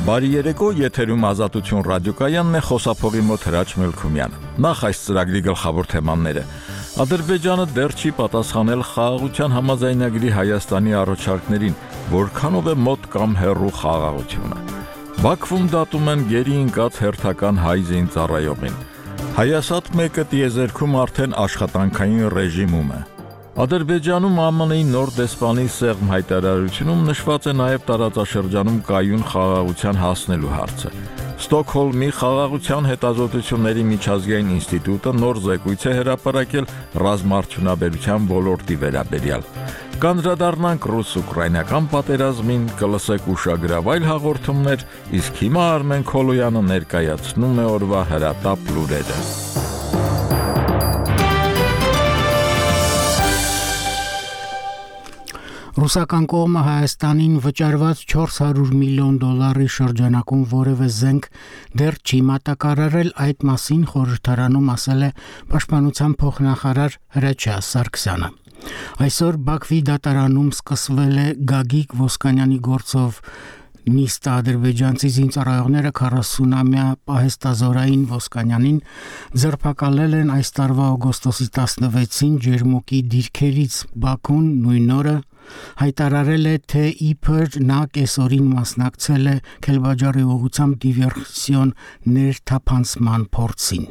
Բարի երեկո, եթերում Ազատություն ռադիոկայանն է, խոսափողի մոտ Հրաչ Մելքումյանը։ Նախ այս ծրագրի գլխավոր թեմաները։ Ադրբեջանը դեռ չի պատասխանել խաղաղության համաձայնագրի Հայաստանի առաջարկներին, որքանով է մոտ կամ հեռու խաղաղությունը։ Բաքվում դատում են գերի ընկած հերթական հայ զինծառայողին։ Հայասատ 1-ը տիեզերքում արդեն աշխատանքային ռեժիմում է։ Ադրբեջանում ԱՄՆ-ի նոր դեսպանի սեղմ հայտարարությունում նշված է նաև տարածաշրջանում կայուն խաղաղության հասնելու հարցը։ Ստոկհոլմի խաղաղության հետազոտությունների միջազգային ինստիտուտը նոր զեկույց է հրապարակել ռազմաարդյունաբերության ոլորտի վերաբերյալ։ Կանդրադառնանք ռուս-ուկրաինական պատերազմին, կլսեք ուշագրավ այլ հաղորդումներ, իսկ հիմա Արմեն Քոլոյանը ներկայացնում է օրվա հրատապ լուրերը։ Ռուսական կողմը Հայաստանին վճարված $400 միլիոն շրջանակում որևէ զենք դեռ չի մատակարարել, այդ մասին խորհրդարանում ասել է Պաշտպանության փոխնախարար Հրաչյա Սարգսյանը։ Այսօր Բաքվի դատարանում սկսվել է Գագիկ Ոսկանյանի գործով նիստը ադրբեջանցի զինծառայողները 40-ամյա պահեստազորային Ոսկանյանին ձերբակալել են այս տարվա օգոստոսի 16-ին Ջերմուկի դիրքերից։ Բաքուն նույն օրը հայտարարել է, թե իբր նա կեսօրին մասնակցել է Քելբաջարի ուղղությամբ դիվերսիոն ներթափանցման փորձին։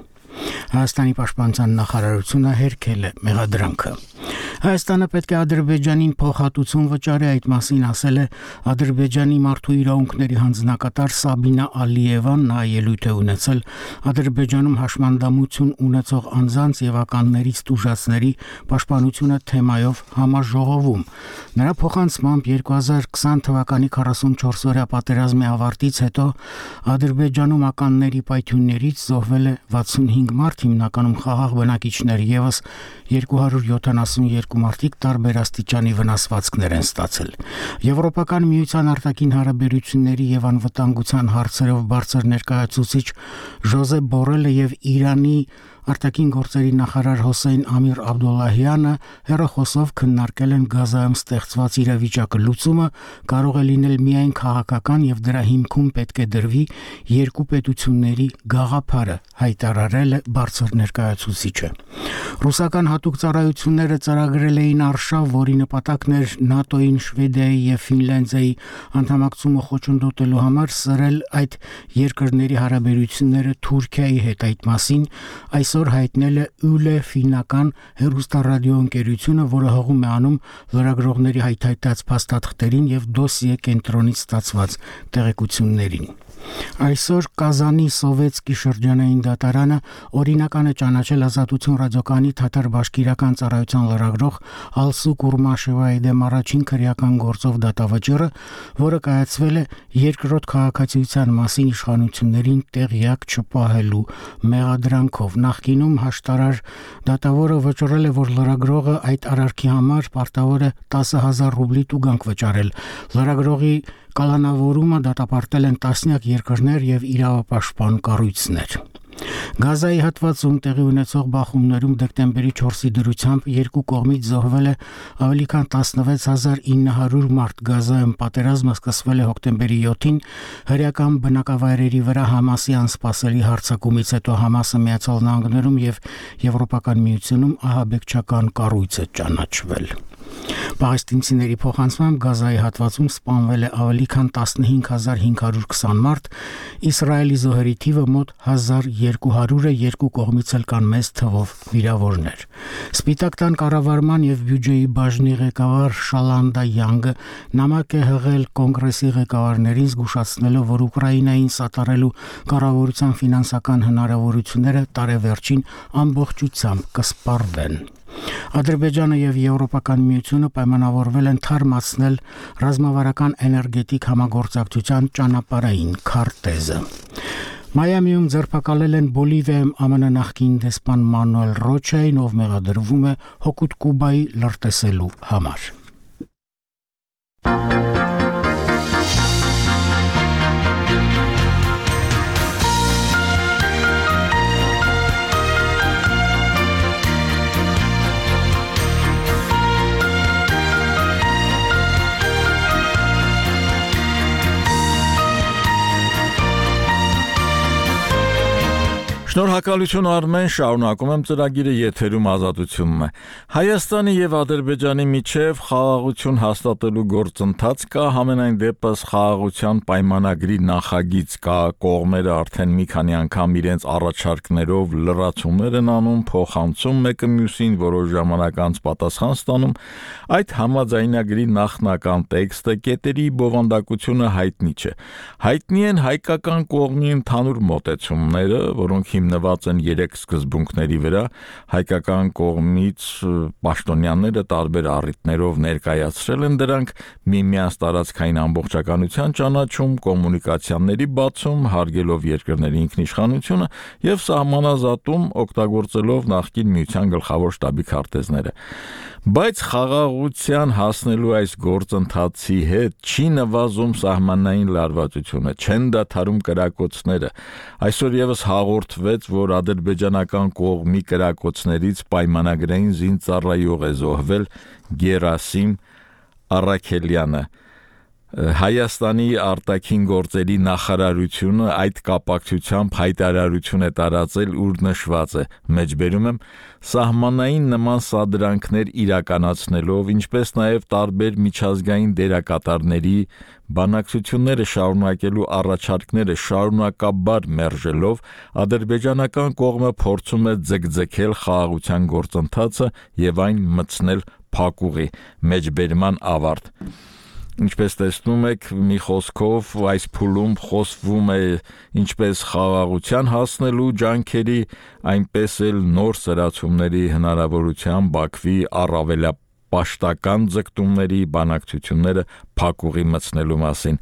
Հայաստանի պաշտպանության նախարարությունը հերքել է մեղադրանքը։ Հայաստանը պետք է Ադրբեջանին փոխհատուցում վճարի, այդ մասին ասել է Ադրբեջանի մարդու իրավունքների հանձնակատար Սաբինա Ալիևան, նա ելույթ է ունեցել Ադրբեջանում հաշմանդամություն ունեցող անձանց եւ ականներից տուժածների պաշտպանությունը թեմայով համաժողովում։ Նրա փոխանցմամբ 2020 թվականի 44-օրյա պատերազմի ավարտից հետո Ադրբեջանում ականների պայթյուններից զոհվել է 65 մարդ, հիմնականում խաղաղ բնակիչներ, եւս 272 մարդիկ տարբեր աստիճանի վնասվածքներ են ստացել։ Եվրոպական միության արտաքին հարաբերությունների եւ անվտանգության հարցերով բարձր ներկայացուցիչ Ժոզեփ Բորելը եւ Իրանի արտաքին գործերի նախարար Հոսեյն Ամիր Աբդոլլահյանը հեռախոսով քննարկել են Գազայում ստեղծված իրավիճակը լուծումը կարող է լինել միայն քաղաքական եւ դրա հիմքում պետք է դրվի երկու պետությունների գաղափարը, հայտարարել է բարձր ներկայացուցիչը։ Ռուսական հատուկ ծառայությունները ծրագրել էին արշավ, որի նպատակն էր ՆԱՏՕ-ին, Շվեդիայի եւ Ֆինլանդիայի անդամակցումը խոչընդոտելու համար սրել այդ երկրների հարաբերությունները Թուրքիայի հետ։ Այդ մասին այսօր հայտնել է ՈՒԼԵ ֆինական հեռուստառադիոընկերությունը, որը հողում է անում լրագրողների հայթայթած փաստաթղթերին եւ դոսիե կենտրոնից ստացված տեղեկություններին։ Այսօր Կազանի Սովետսկի շրջանային դատարանը օրինական է ճանաչել Ազատություն ռադիոկայանի թաթար-բաշկիրական ծառայության լրագրող Ալսու Կուրմաշևայի դեմ առաջին քրեական գործով դատավճիռը, որը կայացվել է երկրորդ քաղաքացիության մասին իշխանություններին տեղյակ չպահելու մեղադրանքով։ Նախկինում հաշտարար դատավորը վճռել է, որ լրագրողը այդ արարքի համար պարտավոր է 10,000 ռուբլի տուգանք վճարել։ Լրագրողի կալանավորումը դատապարտել են տասնյակ երկրներ եւ իրավապաշտպան կառույցներ։ Գազայի հատվածում տեղի ունեցող բախումներում դեկտեմբերի 4-ի դրությամբ երկու կողմից զոհվել է ավելի քան 16900 մարդ։ Գազայում պատերազմը սկսվել է հոկտեմբերի 7-ին հրեական բնակավայրերի վրա Համասի անսպասելի հարձակումից հետո Համասը Միացյալ Նահանգներում եւ Եվրոպական միությունում ահաբեկչական կառույց է ճանաչվել։ Պաղեստինցիների փոխանցմամբ Գազայի հատվածում սպանվել է ավելի քան 15520 մարդ, Իսրայելի զոհերի թիվը մոտ 1200 է, երկու կողմից էլ կան մեծ թվով վիրավորներ։ Սպիտակ տան կառավարման եւ բյուջեի բաժնի ղեկավար Շալանդա Յանգը նամակ է հղել կոնգրեսի ղեկավարներին զգուշացնելով, որ Ուկրաինային սատարելու կառավարության ֆինանսական հնարավորությունները տարեվերջին ամբողջությամբ կսպառվեն։ Ադրբեջանը եւ Եվրոպական միությունը պայմանավորվել են թարմացնել ռազմավարական էներգետիկ համագործակցության ճանապարհային քարտեզը։ Մայամիում ձերբակալել են Բոլիվիայում ԱՄՆ նախկին դեսպան Մանուել Ռոչային, ով մեղադրվում է հօգուտ Կուբայի լրտեսելու համար։ Շնորհակալություն Արմեն, շարունակում եմ ծրագիրը, եթերում Ազատությունն է։ Հայաստանի եւ Ադրբեջանի միջև խաղաղություն հաստատելու գործընթաց կա, համենայն դեպս խաղաղության պայմանագրի նախագիծ կա, կողմերը արդեն մի քանի անգամ իրենց առաջարկներով լրացումներ են անում, փոխանցում մեկը մյուսին, որոշ ժամանակ անց պատասխան ստանում։ Այդ համաձայնագրի նախնական տեքստը, կետերի բովանդակությունը հայտնի չէ։ Հայտնի են հայկական կողմի ընդհանուր մոտեցումները, որոնք հիմնված են 3 սկզբունքների վրա, հայկական կողմից պաշտոնյաները տարբեր առիթներով ներկայացրել են դրանք՝ միմյանց տարածքային ամբողջականության ճանաչում, կոմունիկացիաների բացում, հարգելով երկրների ինքնիշխանությունը եւ սահմանազատում, օգտագործելով նախկին միության գլխավոր շտաբի քարտեզները։ Բայց խաղաղության հասնելու այս գործընթացի հետ չի նվազում սահմանային լարվածությունը, չեն դադարում կրակոցները։ Այսօր եւս հաղորդվեց, որ ադրբեջանական կողմի կրակոցներից պայմանագրային զինծառայող է զոհվել Գերասիմ Առաքելյանը։ Հայաստանի արտաքին գործերի նախարարությունը այդ կապակցությամբ հայտարարություն է տարածել, ուր նշված է, մեջբերում եմ, սահմանային նման սադրանքներ իրականացնելով, ինչպես նաև տարբեր միջազգային դերակատարների բանակցությունները շարունակելու առաջարկները շարունակաբար մերժելով, ադրբեջանական կողմը փորձում է ձգձգել խաղաղության գործընթացը եւ այն մտցնել փակուղի, մեջբերման ավարտ։ Ինչպես տեսնում եք, մի խոսքով այս փուլում խոսվում է ինչպես խաղաղության հասնելու ջանքերի, այնպես էլ նոր սրացումների հնարավորության Բաքվի առավելապաշտական ձգտումների բանակցությունները փակուղի մտցնելու մասին։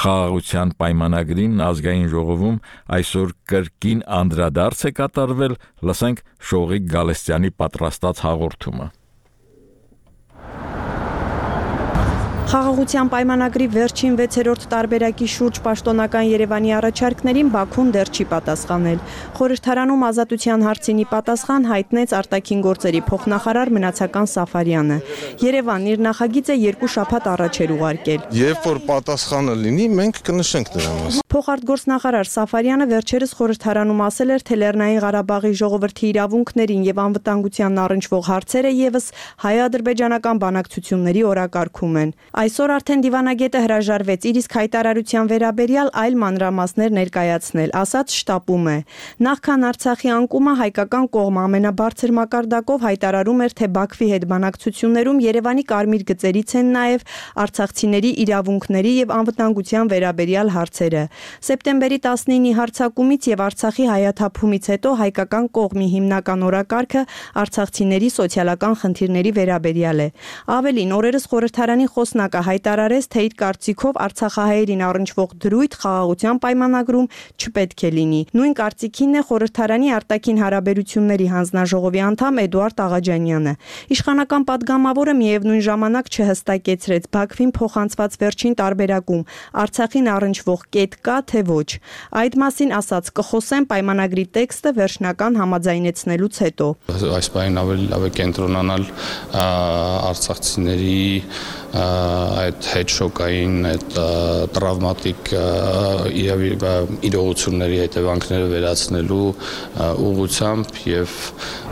Խաղաղության պայմանագրին ազգային ժողովում այսօր կրկին անդրադարձ է կատարվել, լսենք Շողիկ Գալստյանի պատրաստած հաղորդումը։ Խաղաղության պայմանագրի վերջին 6-րդ տարբերակի շուրջ պաշտոնական Երևանի առաջարկներին Բաքուն դեռ չի պատասխանել։ Խորհրդարանում ազատության հարցինի պատասխան հայտնեց արտաքին գործերի փոխնախարար Մնացական Սաֆարյանը։ Երևանն իր նախագիծը 2 շաբաթ առաջ էր ուղարկել։ Երբ որ պատասխանը լինի, մենք կնշենք դրա մասին։ Փոխարտգործնախարար Սաֆարյանը վերջերս խորհրդարանում ասել էր, թե Լեռնային Ղարաբաղի ժողովրդի իրավունքներին եւ անվտանգությանն առնչվող հարցերը եւս հայ-ադրբեջանական բանակցությունների օրակարգում են։ Այսօր արդեն դիվանագետը հրաժարվեց իր իսկ հայտարարության վերաբերյալ այլ մանրամասներ ներկայացնել, ասաց շտապում է։ Նախքան Արցախի անկումը հայկական կողմը ամենաբարձր մակարդակով հայտարարում էր, թե Բաքվի հետ բանակցություններում Երևանի կարմիր գծերից են նաև արցախցիների իրավունքների եւ անվտանգության վերաբերյալ հարցերը։ Սեպտեմբերի 19-ի հարձակումից եւ Արցախի հայաթափումից հետո հայկական կողմի հիմնական օրակարգը արցախցիների սոցիալական խնդիրների վերաբերյալ է։ Ավելին, օրերս խորհրդարանի խոսնակը հայտարարեց, թե իր կարծիքով արցախահայերին առնչվող դրույթ խաղաղության պայմանագրում չպետք է լինի։ Նույն կարծիքին է խորհրդարանի արտաքին հարաբերությունների հանձնաժողովի անդամ Էդուարդ Աղաջանյանը։ Իշխանական падգամավորը միևնույն ժամանակ չհստակեցրեց Բաքվին փոխանցված վերջին տարբերակում Արցախին առնչվող կետ կա թե ոչ։ Այդ մասին ասաց կխոսեն պայմանագրի տեքստը վերջնական համաձայնեցնելուց հետո։ Այս բանին ավելի լավ է կենտրոնանալ արցախցիների այդ հետշոկային, այդ տրավմատիկ իրողությունների հետևանքները վերացնելու ուղղությամբ եւ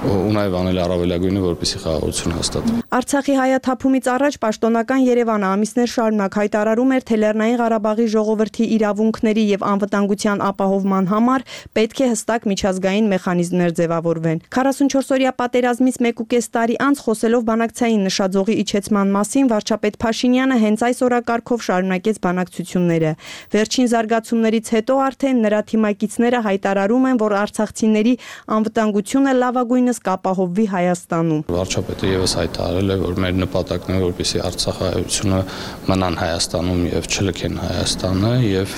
ունայվ անել առավելագույնը, որպեսզի խաղաղություն հաստատվի։ Արցախի հայաթափումից առաջ պաշտոնական Երևանը ամիսներ շարունակ հայտարարում էր, թե Լեռնային Ղարաբաղի ժողովրդի իրավունքների եւ անվտանգության ապահովման համար պետք է հստակ միջազգային մեխանիզմներ ձևավորվեն։ 44-օրյա պատերազմից 1.5 տարի անց խոսելով բանակցային նշաձողի իջեցման մասին վարչապետ Փաշինյանը հենց այս օրակարգով շարունակեց բանակցությունները։ Վերջին զարգացումներից հետո արդեն նրա թիմակիցները հայտարարում են, որ արցախցիների անվտանգությունը լավագույնս կապահովվի Հայաստանում։ Վարչապետը եւս հայտարարել է, որ մեր նպատակն է, որպեսզի արցախահայությունը մնան Հայաստանում եւ չլքեն Հայաստանը, եւ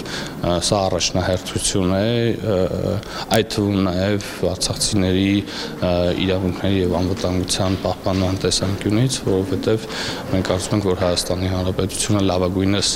սա առաջնահերթություն է, այդ թվում նաեւ արցախցիների իրավունքների եւ անվտանգության պահպանման տեսանկյունից, որովհետեւ մենք կարծում ենք, որ Հայաստանի Հանրապետությունը լավագույնս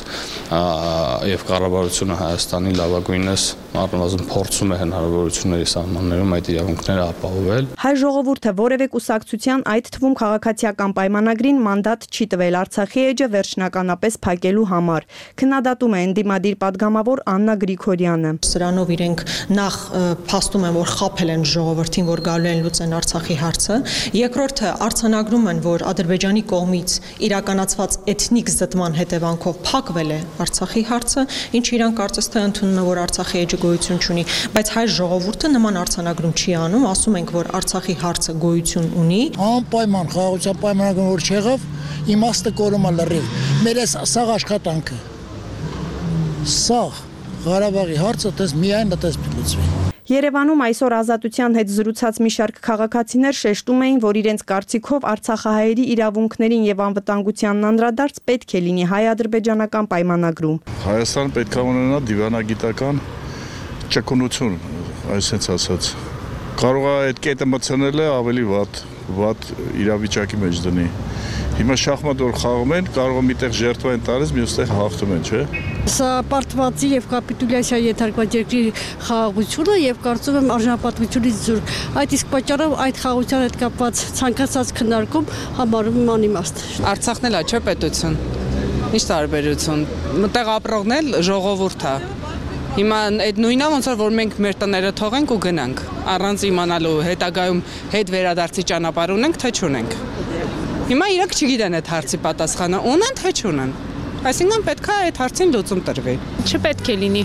եւ կառավարությունը Հայաստանի լավագույնս առնվազն փորձում է հնարավորությունների սահմաններում այդ իրավունքները ապահովել։ Հայ ժողովուրդը որևէ կուսակցության, այդ թվում քաղաքացիական պայմանագրին մանդատ չի տվել Արցախի էջը վերջնականապես փակելու համար։ Քննադատում է ընդդիմադիր падգամավոր Աննա Գրիգորյանը։ Սրանով իրենք նախ փաստում են, որ խաբել են ժողովրդին, որ գալու են լուծեն Արցախի հարցը։ Երկրորդը արձանագրում են, որ Ադրբեջանի կողմից իրականացված էթնիկ զտման հետևանքով փակվել է Արցախի հարցը, ինչը իրանք կարծես թե ընդունում են, որ Արցախի էջը գոյություն չունի, բայց հայ ժողովուրդը նման արձանագրում չի անում, ասում ենք, որ Արցախի հարցը գոյություն ունի։ Անպայման խաղաղության պայմանագրում որ չեղավ, իմաստը կորում է լրիվ։ Մեր սաղ աշխատանքը, սաղ Ղարաբաղի հարցը դες միայն դες լուծվի։ Երևանում այսօր Ազատության հետ զրուցած մի շարք քաղաքացիներ շեշտում էին, որ իրենց կարծիքով արցախահայերի իրավունքներին եւ անվտանգությանն անդրադարձ պետք է լինի հայ-ադրբեջանական պայմանագրում։ Հայաստանը պետք է ունենա դիվանագիտական ճկունություն, այսպես ասած։ Կարող է այդ կետը մտցնել ավելի վատ իրավիճակի մեջ դնի։ Հիմա շախմատ որ խաղում են, կարող է միտեղ ժերտվա են տալիս, մյուստեղ հաղթում են, չէ՞։ Սա պարտվածի եւ կապիտուլյացիա ենթարկված երկրի խաղաղությունը եւ կարծում եմ արժանապատվությունից զուրկ։ Այդ իսկ պատճառով այդ խաղաղության հետ կապված ցանկացած քննարկում համարում եմ անիմաստ։ Արցախն էլ է, չէ՞ պետություն։ Ինչ տարբերություն։ Մտեղ ապրողն էլ ժողովուրդ է։ Հիմա այդ նույնը ոնց որ մենք մեր տները թողենք ու գնանք, առանց իմանալու հետագայում հետ վերադարձի ճանապարհ ունենք, թե չունենք։ Հիմա իրենք չգիտեն այդ հարցի պատասխանը, ունեն թե չունեն։ Այսինքն պետք է այդ հարցին լուծում տրվի։ Չպետք է լինի։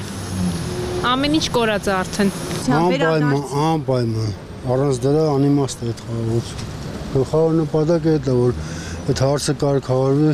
Ամեն ինչ կորած է արդեն։ Անպայման։ Առանց դրա անիմաստ է այդ խաղաղությունը։ Գլխավոր նպատակը դա որ այդ հարցը կարգավորվի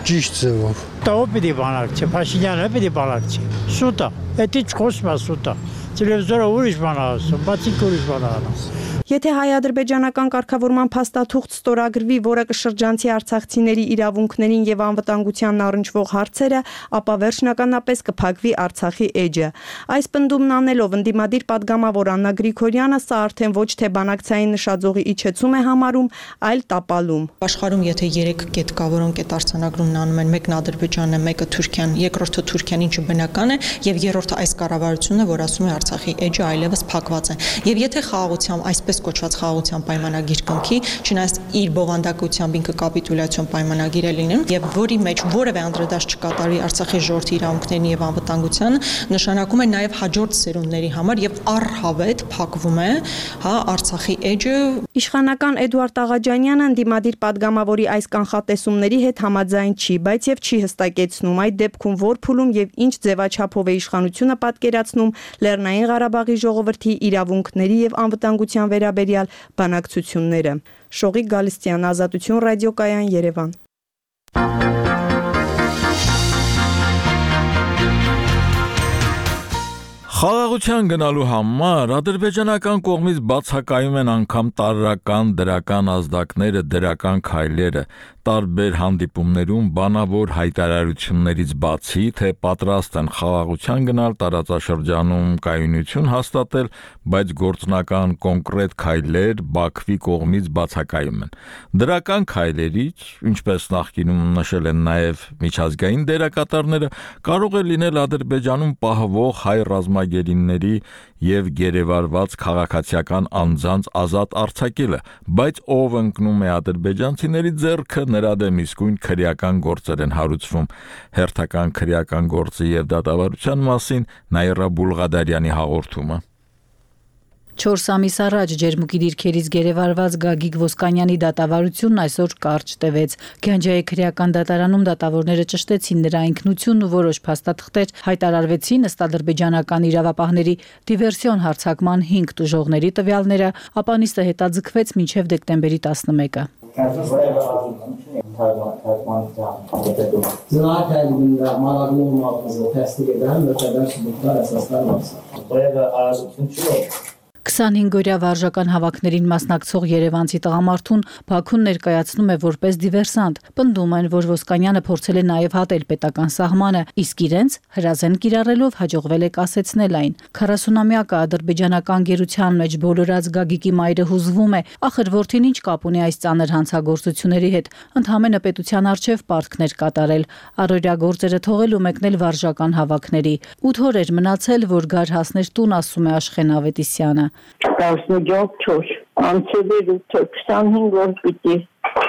ճիշտ ձևով։ Ով պիտի բանակցի, Փաշինյանը պիտի բանակցի։ Սուտ է, դա չխոսում է սուտ է։ Տելևիզորը ուրիշ բան է ասում, բացի ուրիշ բան է ասում։ Եթե հայ-ադրբեջանական կարգավորման փաստաթուղթ ստորագրվի, որը կշրջանցի արցախցիների իրավունքներին եւ անվտանգությանն առնչվող հարցերը, ապա վերջնականապես կփակվի Արցախի էջը։ Այս պնդումն անելով ընդդիմադիր падգամավոր Աննա Գրիգորյանը սա արդեն ոչ թե բանակցային նշաձողի իջեցում է համարում, այլ տապալում։ Աշխարհում եթե 3 կետ կա, որոնք այդ արձանագրումն անում են, մեկն Ադրբեջանն է, մեկը Թուրքիան, երկրորդը Թուրքիան, ինչը բնական է, եւ երրորդը այս կառավարությունն է, որ ասում է Արցախի էջը այլևս փակված է։ Եվ եթե խաղաղությամբ այսպես կոչված խաղաղության պայմանագիր կնքի, չնայած իր բովանդակությամբ ինքը կապիտուլյացիոն պայմանագիր է լինում եւ որի մեջ որևէ անդրադարձ չկատարվի Արցախի ժողովրդի իրավունքներին եւ անվտանգությանը, նշանակում է նաեւ հաջորդ սերունդների համար եւ առհավետ փակվում է, Արցախի էջը։ Իշխանական Էդուարդ Աղաջանյանը ընդդիմադիր падգամավորի այս կանխատեսումների հետ համաձայն չի, բայց եւ չի հստակեցնում այդ դեպքում որ փուլում եւ ինչ ձևաչափով է իշխանությունը պատկերացնում Լեռնային Ղարաբաղի ժողովրդի իրավունքների եւ անվտանգության վերաբերյալ բանակցությունները։ Շողիկ Գալստյան, Ազատություն ռադիոկայան, Երևան։ Խաղաղության գնալու համար ադրբեջանական կողմից բացակայում են անգամ տարրական դրական ազդակները, դրական քայլերը, տարբեր հանդիպումներում բանավոր հայտարարություններից բացի, թե պատրաստ են խաղաղության գնալ տարածաշրջանում կայունություն հաստատել, բայց գործնական կոնկրետ քայլեր Բաքվի կողմից բացակայում են։ Դրական քայլերից, ինչպես նախկինում նշել են նաև միջազգային դերակատարները, կարող է լինել Ադրբեջանում պահվող հայ ռազմագերիների եւ գերեվարված քաղաքացիական անձանց ազատ արձակելը, բայց ով ընկնում է ադրբեջանցիների ձեռքը, նրա դեմ իսկույն քրեական գործեր են հարուցվում։ Հերթական քրեական գործի եւ դատավարության մասին Նաիրա Բուլղադարյանի հաղորդումը։ 4 ամիս առաջ ջերմուկի դիրքերից գերեվարված Գագիկ Ոսկանյանի դատավարությունն այսօր կարճ տևեց։ Գանջայի քրեական դատարանում դատավորները ճշտեցին նրա ինքնությունն ու որոշ փաստաթղթեր հայտարարվեցին ըստ ադրբեջանական իրավապահների դիվերսիոն հարձակման 5 տուժողների տվյալները, ապա նիստը հետաձգվեց մինչև դեկտեմբերի 11-ը։ 25-օրյա վարժական հավաքներին մասնակցող երևանցի տղամարդուն Բաքուն ներկայացնում է որպես դիվերսանտ։ Պնդում են, որ Ոսկանյանը փորձել է նաև հատել պետական սահմանը, իսկ իրենց հրազեն կիրառելով հաջողվել է կասեցնել այն։ 40-ամյակը ադրբեջանական գերության մեջ բոլորած Գագիկի մայրը հուզվում է, ախր որդին ինչ կապ ունի այս ծանր հանցագործությունների հետ, ընդհանրապես պետության արչև պարտքներ կատարել, առօրյա գործերը թողել ու մեկնել վարժական հավաքների։ 8 օր էր մնացել, որ գար հասներ տուն, ասում է Աշխեն Ավետիսյանը։ 14 անցել էր 25 օր պիտի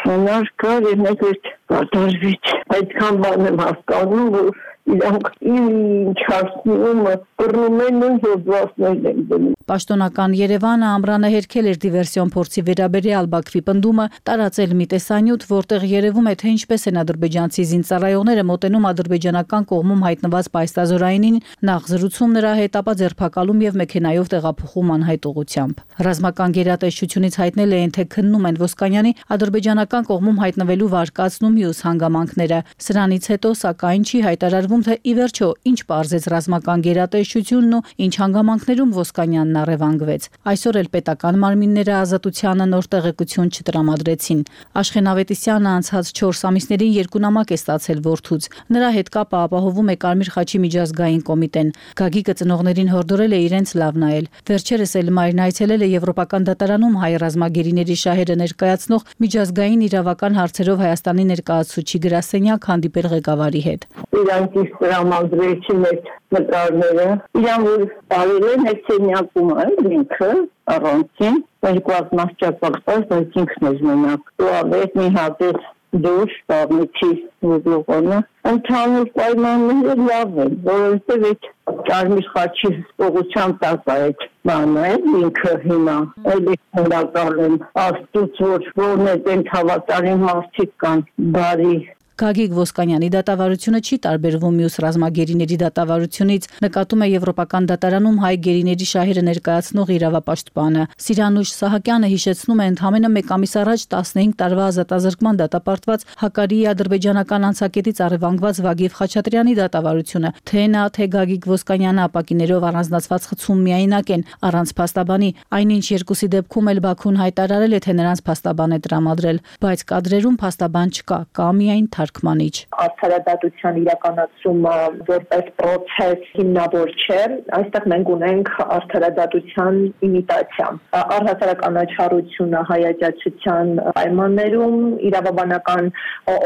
մնար կար և մեկ էր կատարվից։ Այդքան բան եմ հասկանում, որ իրանք ինչ հասնում կռնում են ու հոդվածներ են դնում։ Պաշտոնական Երևանը ամռանը հերքել էր դիվերսիոն փորձի վերաբերյալ Բաքվի պնդումը տարածել մի տեսանյութ, որտեղ երևում է, թե ինչպես են ադրբեջանցի զինծառայողները մոտենում ադրբեջանական կողմում հայտնված պայստազորայինին, նախ զրուցում նրա հետ, ապա ձերբակալում եւ մեքենայով տեղափոխում անհայտ ուղղությամբ։ Ռազմական գերատեսչությունից հայտնել էին, թե քննում են Ոսկանյանի ադրբեջանական կողմում հայտնվելու վարկածն ու մյուս հանգամանքները։ Սրանից հետո, սակայն, չի հայտարարվում, թե ի վերջո ինչ պարզեց ռազմական գերատեսչությունն ու ինչ հանգամանքներում Ոսկանյանն առևանգվեց։ Այսօր էլ պետական մարմինները ազատությանը նոր տեղեկություն չտրամադրեցին։ Աշխեն Ավետիսյանը անցած 4 ամիսներին 2 նամակ է ստացել որդուց։ Նրա հետ կապը ապահովում է Կարմիր խաչի միջազգային կոմիտեն։ Գագիկը ծնողներին հորդորել է իրենց լավ նայել։ Վերջերս էլ մայրն այցելել է Եվրոպական դատարանում հայ ռազմագերիների շահերը ներկայացնող միջազգային իրավական հարցերով Հայաստանի ներկայացուցիչ գրասենյակ հանդիպել ղեկավարի հետ։ Իրանք իսկ տրամադրեցին այդ նկարները, իրան որ տարել են այդ սենյակում ինքը առանցին, երկուած մասճապակված, բայց ինքն էր մենակ։ Ու ավետ մի հատեց դուր, բավնիքի ուզլողոնը, ընդհանուր պայմանները լավ են, որովհետև այդ Կարմիր խաչի ուղղությամբ տակ այդ բանը ինքը հիմա էլի խնդակալ են աստուց, որն այդ հավատարիմ մարդիկ կան, բարի Գագիկ Ոսկանյանի դատավարությունը չի տարբերվում մյուս ռազմագերիների դատավարությունից, նկատում է Եվրոպական դատարանում հայ գերիների շահերը ներկայացնող իրավապաշտպանը։ Սիրանուշ Սահակյանը հիշեցնում է ընդամենը 1 ամիս առաջ 15 տարվա ազատազրկման դատապարտված Հակարիի ադրբեջանական անցակետից առևանգված Վագիվ Խաչատրյանի դատավարությունը, թե նա, թե Գագիկ Ոսկանյանը ապակիներով առանձնացված խցում միայնակ են, առանց փաստաբանի, այնինչ երկուսի դեպքում էլ Բաքուն հայտարարել է, թե նրանց փաստաբան է տրամադրել, բայց կադրերում փաստաբան չկա, կա միայն թարգմանիչ։ Արդարադատության իրականացումը որպես process հիմնավոր չէ, այստեղ մենք ունենք արդարադատության իմիտացիա։ Առհասարակ անաչառությունը հայաճացության պայմաններում իրավաբանական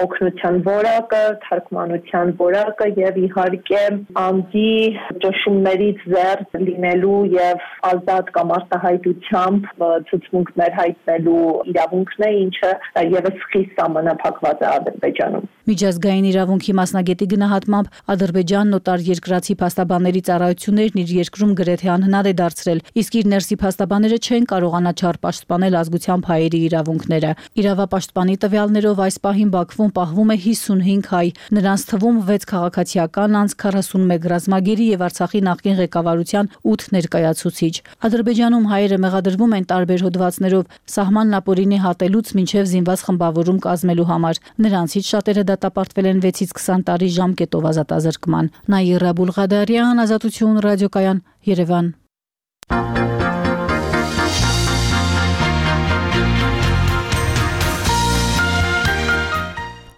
օգնության որակը, թարգմանության որակը եւ իհարկե անձի ճնշումներից զերծ լինելու եւ ազատ կամ արտահայտությամբ ցուցմունքներ հայտնելու իրավունքն է, ինչը եւս խիստ սահմանափակված է Ադրբեջանում։ Միջազգային իրավունքի մասնագետի գնահատմամբ Ադրբեջանն օտար երկրացի փաստաբանների ծառայություններն իր երկրում գրեթե անհնար է դարձրել, իսկ իր ներսի փաստաբանները չեն կարողանա չար պաշտպանել ազգությամբ հայերի իրավունքները։ Իրավապաշտպանի տվյալներով այս պահին Բաքվում պահվում է 55 հայ, նրանց թվում 6 քաղաքացիական անձ, 41 ռազմագերի եւ Արցախի նախկին ղեկավարության 8 ներկայացուցիչ։ Ադրբեջանում հայերը մեղադրվում են տարբեր հոդվածներով սահմանն ապօրինի հատելուց մինչև զինված խմբավորում կազմելու համար։ Նրանցից շատերը դատապարտվել են 6-ից 20 տարի ժամկետով ազատազրկման։ Նաիրա Բուլղադարյան, Ազատություն ռադիոկայան, Երևան։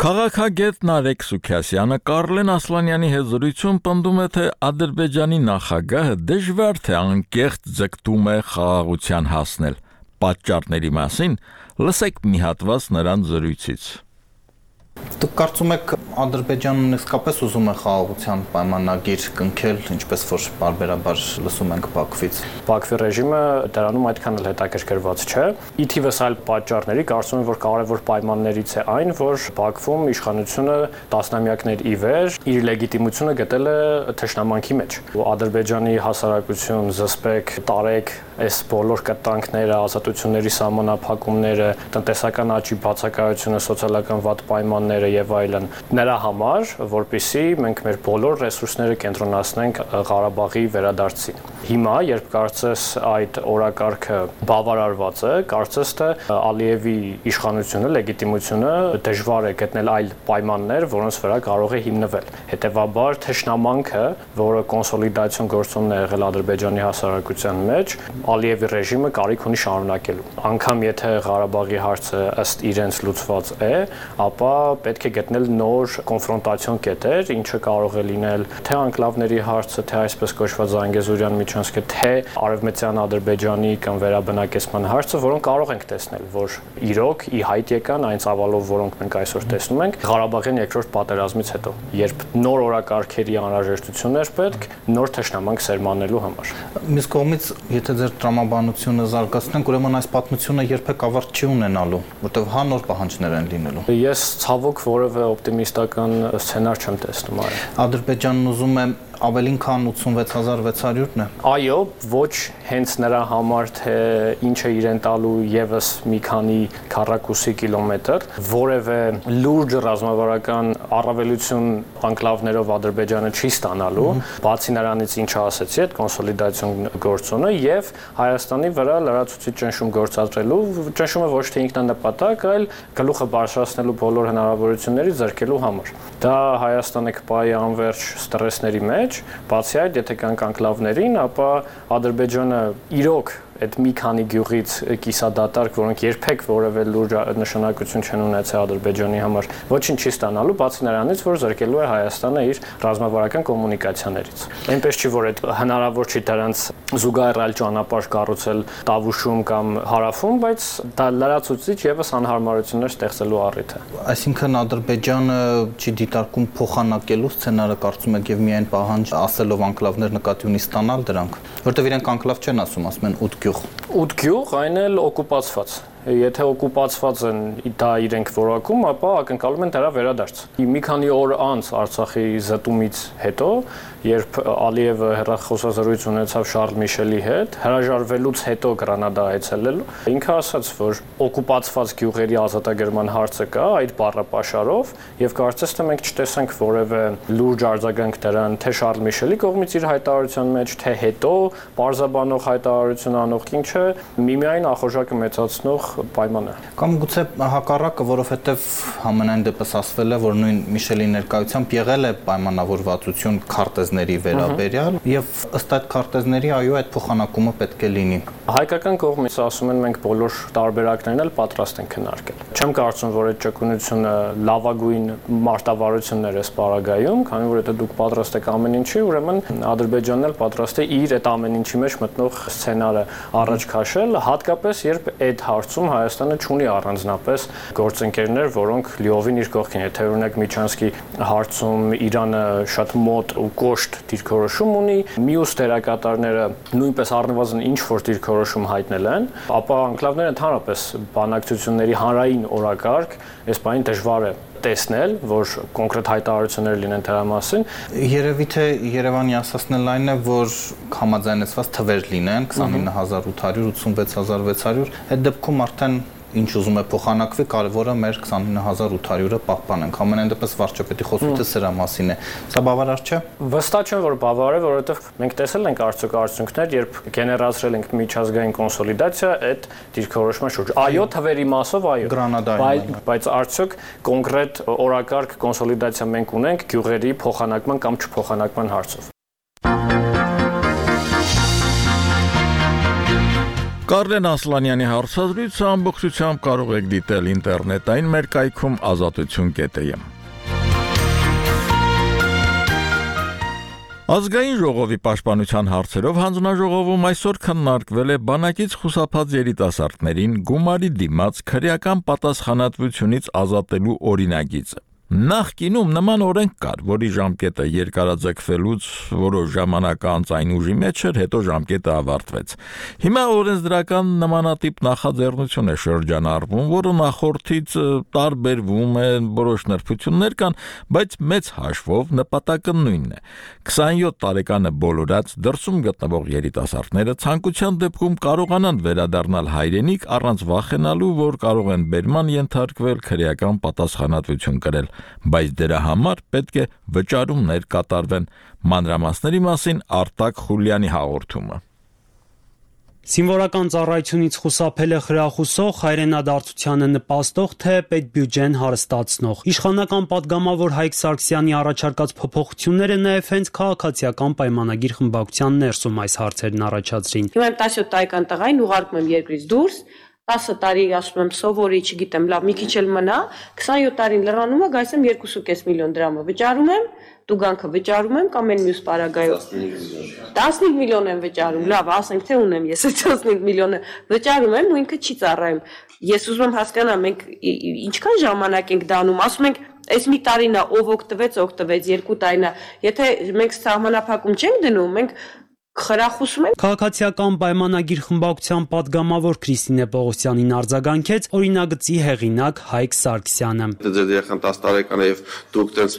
Քաղաքագետ Նարեկ Սուքիասյանը Կարլեն Ասլանյանի հետ զրույցում պնդում է, թե Ադրբեջանի նախագահը դժվար թե անկեղծ ձգտում է խաղաղության հասնել։ Պատճառների մասին լսեք մի հատված նրան զրույցից։ Դուք կարծում եք Ադրբեջանն իսկապես ուզում է խաղաղության պայմանագիր կնքել, ինչպես որ բարբերաբար լսում ենք Բաքվից։ Բաքվի ռեժիմը դրանում այդքան էլ հետաքրքրված չէ։ Ի թիվս այլ պատճառների կարծում եմ, որ կարևոր պայմաններից է այն, որ Բաքվում իշխանությունը տասնամյակներ ի վեր իր լեգիտիմությունը գտել է թշնամանքի մեջ։ Ադրբեջանի հասարակություն, զսպեք, տարեք այս բոլոր կտանքները, ազատությունների սահմանափակումները, տնտեսական աճի բացակայությունը, սոցիալական վատ պայմանները պայմանները եւ այլն նրա համար, որպեսզի մենք մեր բոլոր ռեսուրսները կենտրոնացնենք Ղարաբաղի վերադարձին։ Հիմա, երբ կարծես այդ օրակարգը բավարարված է, կարծես թե Ալիևի իշխանությունը, լեգիտիմությունը դժվար է գտնել այլ պայմաններ, որոնց վրա կարող է հիմնվել։ Հետևաբար, թշնամանքը, որը կոնսոլիդացիոն գործոնն է եղել Ադրբեջանի հասարակության մեջ, Ալիևի ռեժիմը կարիք ունի շարունակելու։ Անկամ եթե Ղարաբաղի հարցը ըստ իրենց լուծված է, ապա պետք է գտնել նոր կոնֆրոնտացիոն կետեր, ինչը կարող է լինել թե անկլավների հարցը, թե այսպես կոչված Զանգեզուրյան միջանցքը, թե Արևմտյան Ադրբեջանի կամ վերաբնակեցման հարցը, որոնք կարող ենք տեսնել, որ իրոք ի հայտ եկան այն ծավալով, որոնք մենք այսօր տեսնում ենք Ղարաբաղյան երկրորդ պատերազմից հետո, երբ նոր օրակարգերի անհրաժեշտություն էր պետք նոր թշնամանք սերմանելու համար։ Մյուս կողմից, եթե ձեր տրամաբանությունը զարգացնենք, ուրեմն այս պատմությունը երբեք ավարտ չի ունենալու, որտեղ հա նոր պահանջներ են լինելու։ Ես ցավոք որևէ օպտիմիստական սցենար չեմ տեսնում այլ։ Ադրբեջանն ուզում է ավելին քան 86600-ն է։ Այո, ոչ հենց նրա համար, թե ինչ է իրեն տալու եւս մի քանի քառակուսի կիլոմետր, որևէ լուրջ ռազմավարական առավելություն անկլավներով Ադրբեջանը չի ստանալու, բացի նրանից ինչը ասեցի, այդ կոնսոլիդացիոն գործոնը եւ Հայաստանի վրա լրացուցիչ ճնշում գործադրելու, ճնշումը ոչ թե ինքնանպատակ, այլ գլուխը բարձրացնելու բոլոր հնարավորությունների ձեռքելու համար։ Դա Հայաստանը կպայի անverջ ստրեսների մեջ, բացի այդ, եթե կանք անկլավներին, ապա Ադրբեջանը իրոք այդ մի քանի գյուղից կիսադատարկ, որոնք երբեք որևէ լուրջ նշանակություն չեն ունեցել Ադրբեջանի համար, ոչինչ չի ստանալու, բացի նրանից, որ զրկելու է Հայաստանը իր ռազմավարական կոմունիկացիաներից։ Այնպես չի, որ այդ հնարավոր չի դրանց զուգահեռ այլ ճանապարհ կառուցել Տավուշում կամ Հարավում, բայց դա լրացուցիչ եւս անհարմարություններ ստեղծելու առիթ է։ Այսինքն Ադրբեջանը չի դիտարկում փոխանակելու սցենարը, կարծում եք, եւ միայն պահանջ ասելով անկլավներ նկատի ունի ստանալ դրանք, որտեղ իրենք անկլավ չեն ասում, ասում են 8 գյուղ։ 8 գյուղ, այն էլ օկուպացված։ Եթե օկուպացված են դա իրենք որակում, ապա ակնկալում են դրա վերադարձ։ Մի քանի օր անց Արցախի զտումից հետո, երբ Ալիևը հեռախոսազրույց ունեցավ Շարլ Միշելի հետ, հրաժարվելուց հետո Գրանադա այցելելու, ինքը ասաց, որ օկուպացված գյուղերի ազատագրման հարցը կա այդ բառապաշարով, եւ կարծես թե մենք չտեսանք որևէ լուրջ արձագանք դրան, թե Շարլ Միշելի կողմից իր հայտարարության մեջ, թե հետո պարզաբանող հայտարարություն անող, ինչը միմիայն ախորժակը մեծացնող պայման է։ Կամ գուցե հակառակը, որովհետև համենայն դեպս ասվել է, որ նույն Միշելի ներկայությամբ եղել է պայմանավորվածություն քարտեզների վերաբերյալ եւ ըստ այդ քարտեզների այո այդ փոխանակումը պետք է լինի։ Հայկական կողմից ասում են մենք բոլոր տարբերակներն էլ պատրաստ ենք քննարկել։ Չեմ կարծում, որ այդ ճկունությունը լավագույն մարտավարություններ է սպառագայում, քանի որ եթե դուք պատրաստ եք ամեն ինչի, ուրեմն Ադրբեջանն էլ պատրաստ է իր այդ ամեն ինչի մեջ մտնող սցենարը առաջ քաշել, հատկապես երբ այդ հարցում Հայաստանը չունի առանձնապես գործընկերներ, որոնք լիովին իր կողքին, եթե օրինակ Միչանսկի հարցում Իրանը շատ մոտ ու կոշտ դիրքորոշում ունի, մյուս դերակատարները նույնպես առնվազն ինչ որ դիրքորոշում հայտնել են, ապա անկլավները ընդհանրապես բանակցությունների հանրային օրակարգ, այս բանին դժվար է տեսնել, որ կոնկրետ հայտարարություններ լինեն դրա մասին։ Երևի թե Երևանի ասածն այն է, որ համաձայնեցված թվեր լինեն 29800, 86600, այդ դեպքում արդեն ինչ ուզում է փոխանակվի, կարևորը մեր 29800-ը պահպանենք։ Ամենայն դեպս վարչապետի խոսքը սրա մասին է։ Սա բավարար չէ։ Վստահ չեմ, որ բավարար է, որովհետև մենք տեսել ենք արդյունքներ, երբ գեներացրել ենք միջազգային կոնսոլիդացիա այդ դիրքորոշման շուրջ։ Այո, թվերի մասով այո։ Բայց արդյոք կոնկրետ օրակարգ կոնսոլիդացիա մենք ունենք գյուղերի փոխանակման կամ չփոխանակման հարցով։ Կարլեն Ասլանյանի հարցազրույցը ամբողջությամբ կարող եք դիտել ինտերնետային մեր կայքում ազատություն.am։ Ազգային ժողովի պաշտպանության հարցերով հանձնաժողովում այսօր քննարկվել է բանակից խուսափած երիտասարդներին գումարի դիմաց քրեական պատասխանատվությունից ազատելու օրինագիծը։ Նախկինում նման օրենք կար, որի ժամկետը երկարաձգվելուց որոշ ժամանակ անց այն ուժի մեջ էր, հետո ժամկետը ավարտվեց։ Հիմա օրենսդրական նմանատիպ նախաձեռնություն է շրջանառվում, որը նախորդից տարբերվում է, որոշ նրբություններ կան, բայց մեծ հաշվով նպատակը նույնն է։ 27 տարեկանը բոլորած դրսում գտնվող երիտասարդները ցանկության դեպքում կարողանան վերադառնալ հայրենիք առանց վախենալու, որ կարող են բերման ենթարկվել, քրեական պատասխանատվություն կրել, բայց դրա համար պետք է վճարումներ կատարվեն։ Մանրամասների մասին Արտակ Խուլյանի հաղորդումը։ Սիմվոլական ծառայությունից խուսափելը խրախուսող, հայրենադարձությանը նպաստող, թե պետբյուջեն հարստացնող։ Իշխանական պատգամավոր Հայկ Սարգսյանի առաջարկած փոփոխությունները նաև հենց քաղաքացիական պայմանագիր խմբակցության ներսում այս հարցերն առաջացրին։ Հիմա 17 տարեկան տղային ուղարկում եմ երկրից դուրս, 10 տարի ասում եմ սովորի, չգիտեմ, լավ, մի քիչ էլ մնա, 27 տարին լրանում է, գայս եմ 2.5 միլիոն դրամը վճարում եմ, տուգանքը վճարում եմ կամ այն մյուս պարագայով 15 միլիոն եմ վճարում, լավ, ասենք թե ունեմ ես 15 միլիոնը վճարում եմ ու ինքը չի ծառայում։ Ես ուզում եմ հասկանամ, մենք ինչքան ժամանակ ենք դանում, ասում ենք այս մի տարին է, ով օգտվեց, 2 տարին է, եթե մենք սահմանափակում չենք դնում, մենք խրախուսում ենք։ Քաղաքացիական պայմանագիր խմբակցության պատգամավոր Քրիստինե Պողոսյանին արձագանքեց օրինագծի հեղինակ Հայկ Սարգսյանը։ Ձեր երեխան 10 տարեկան է եւ դուք տենց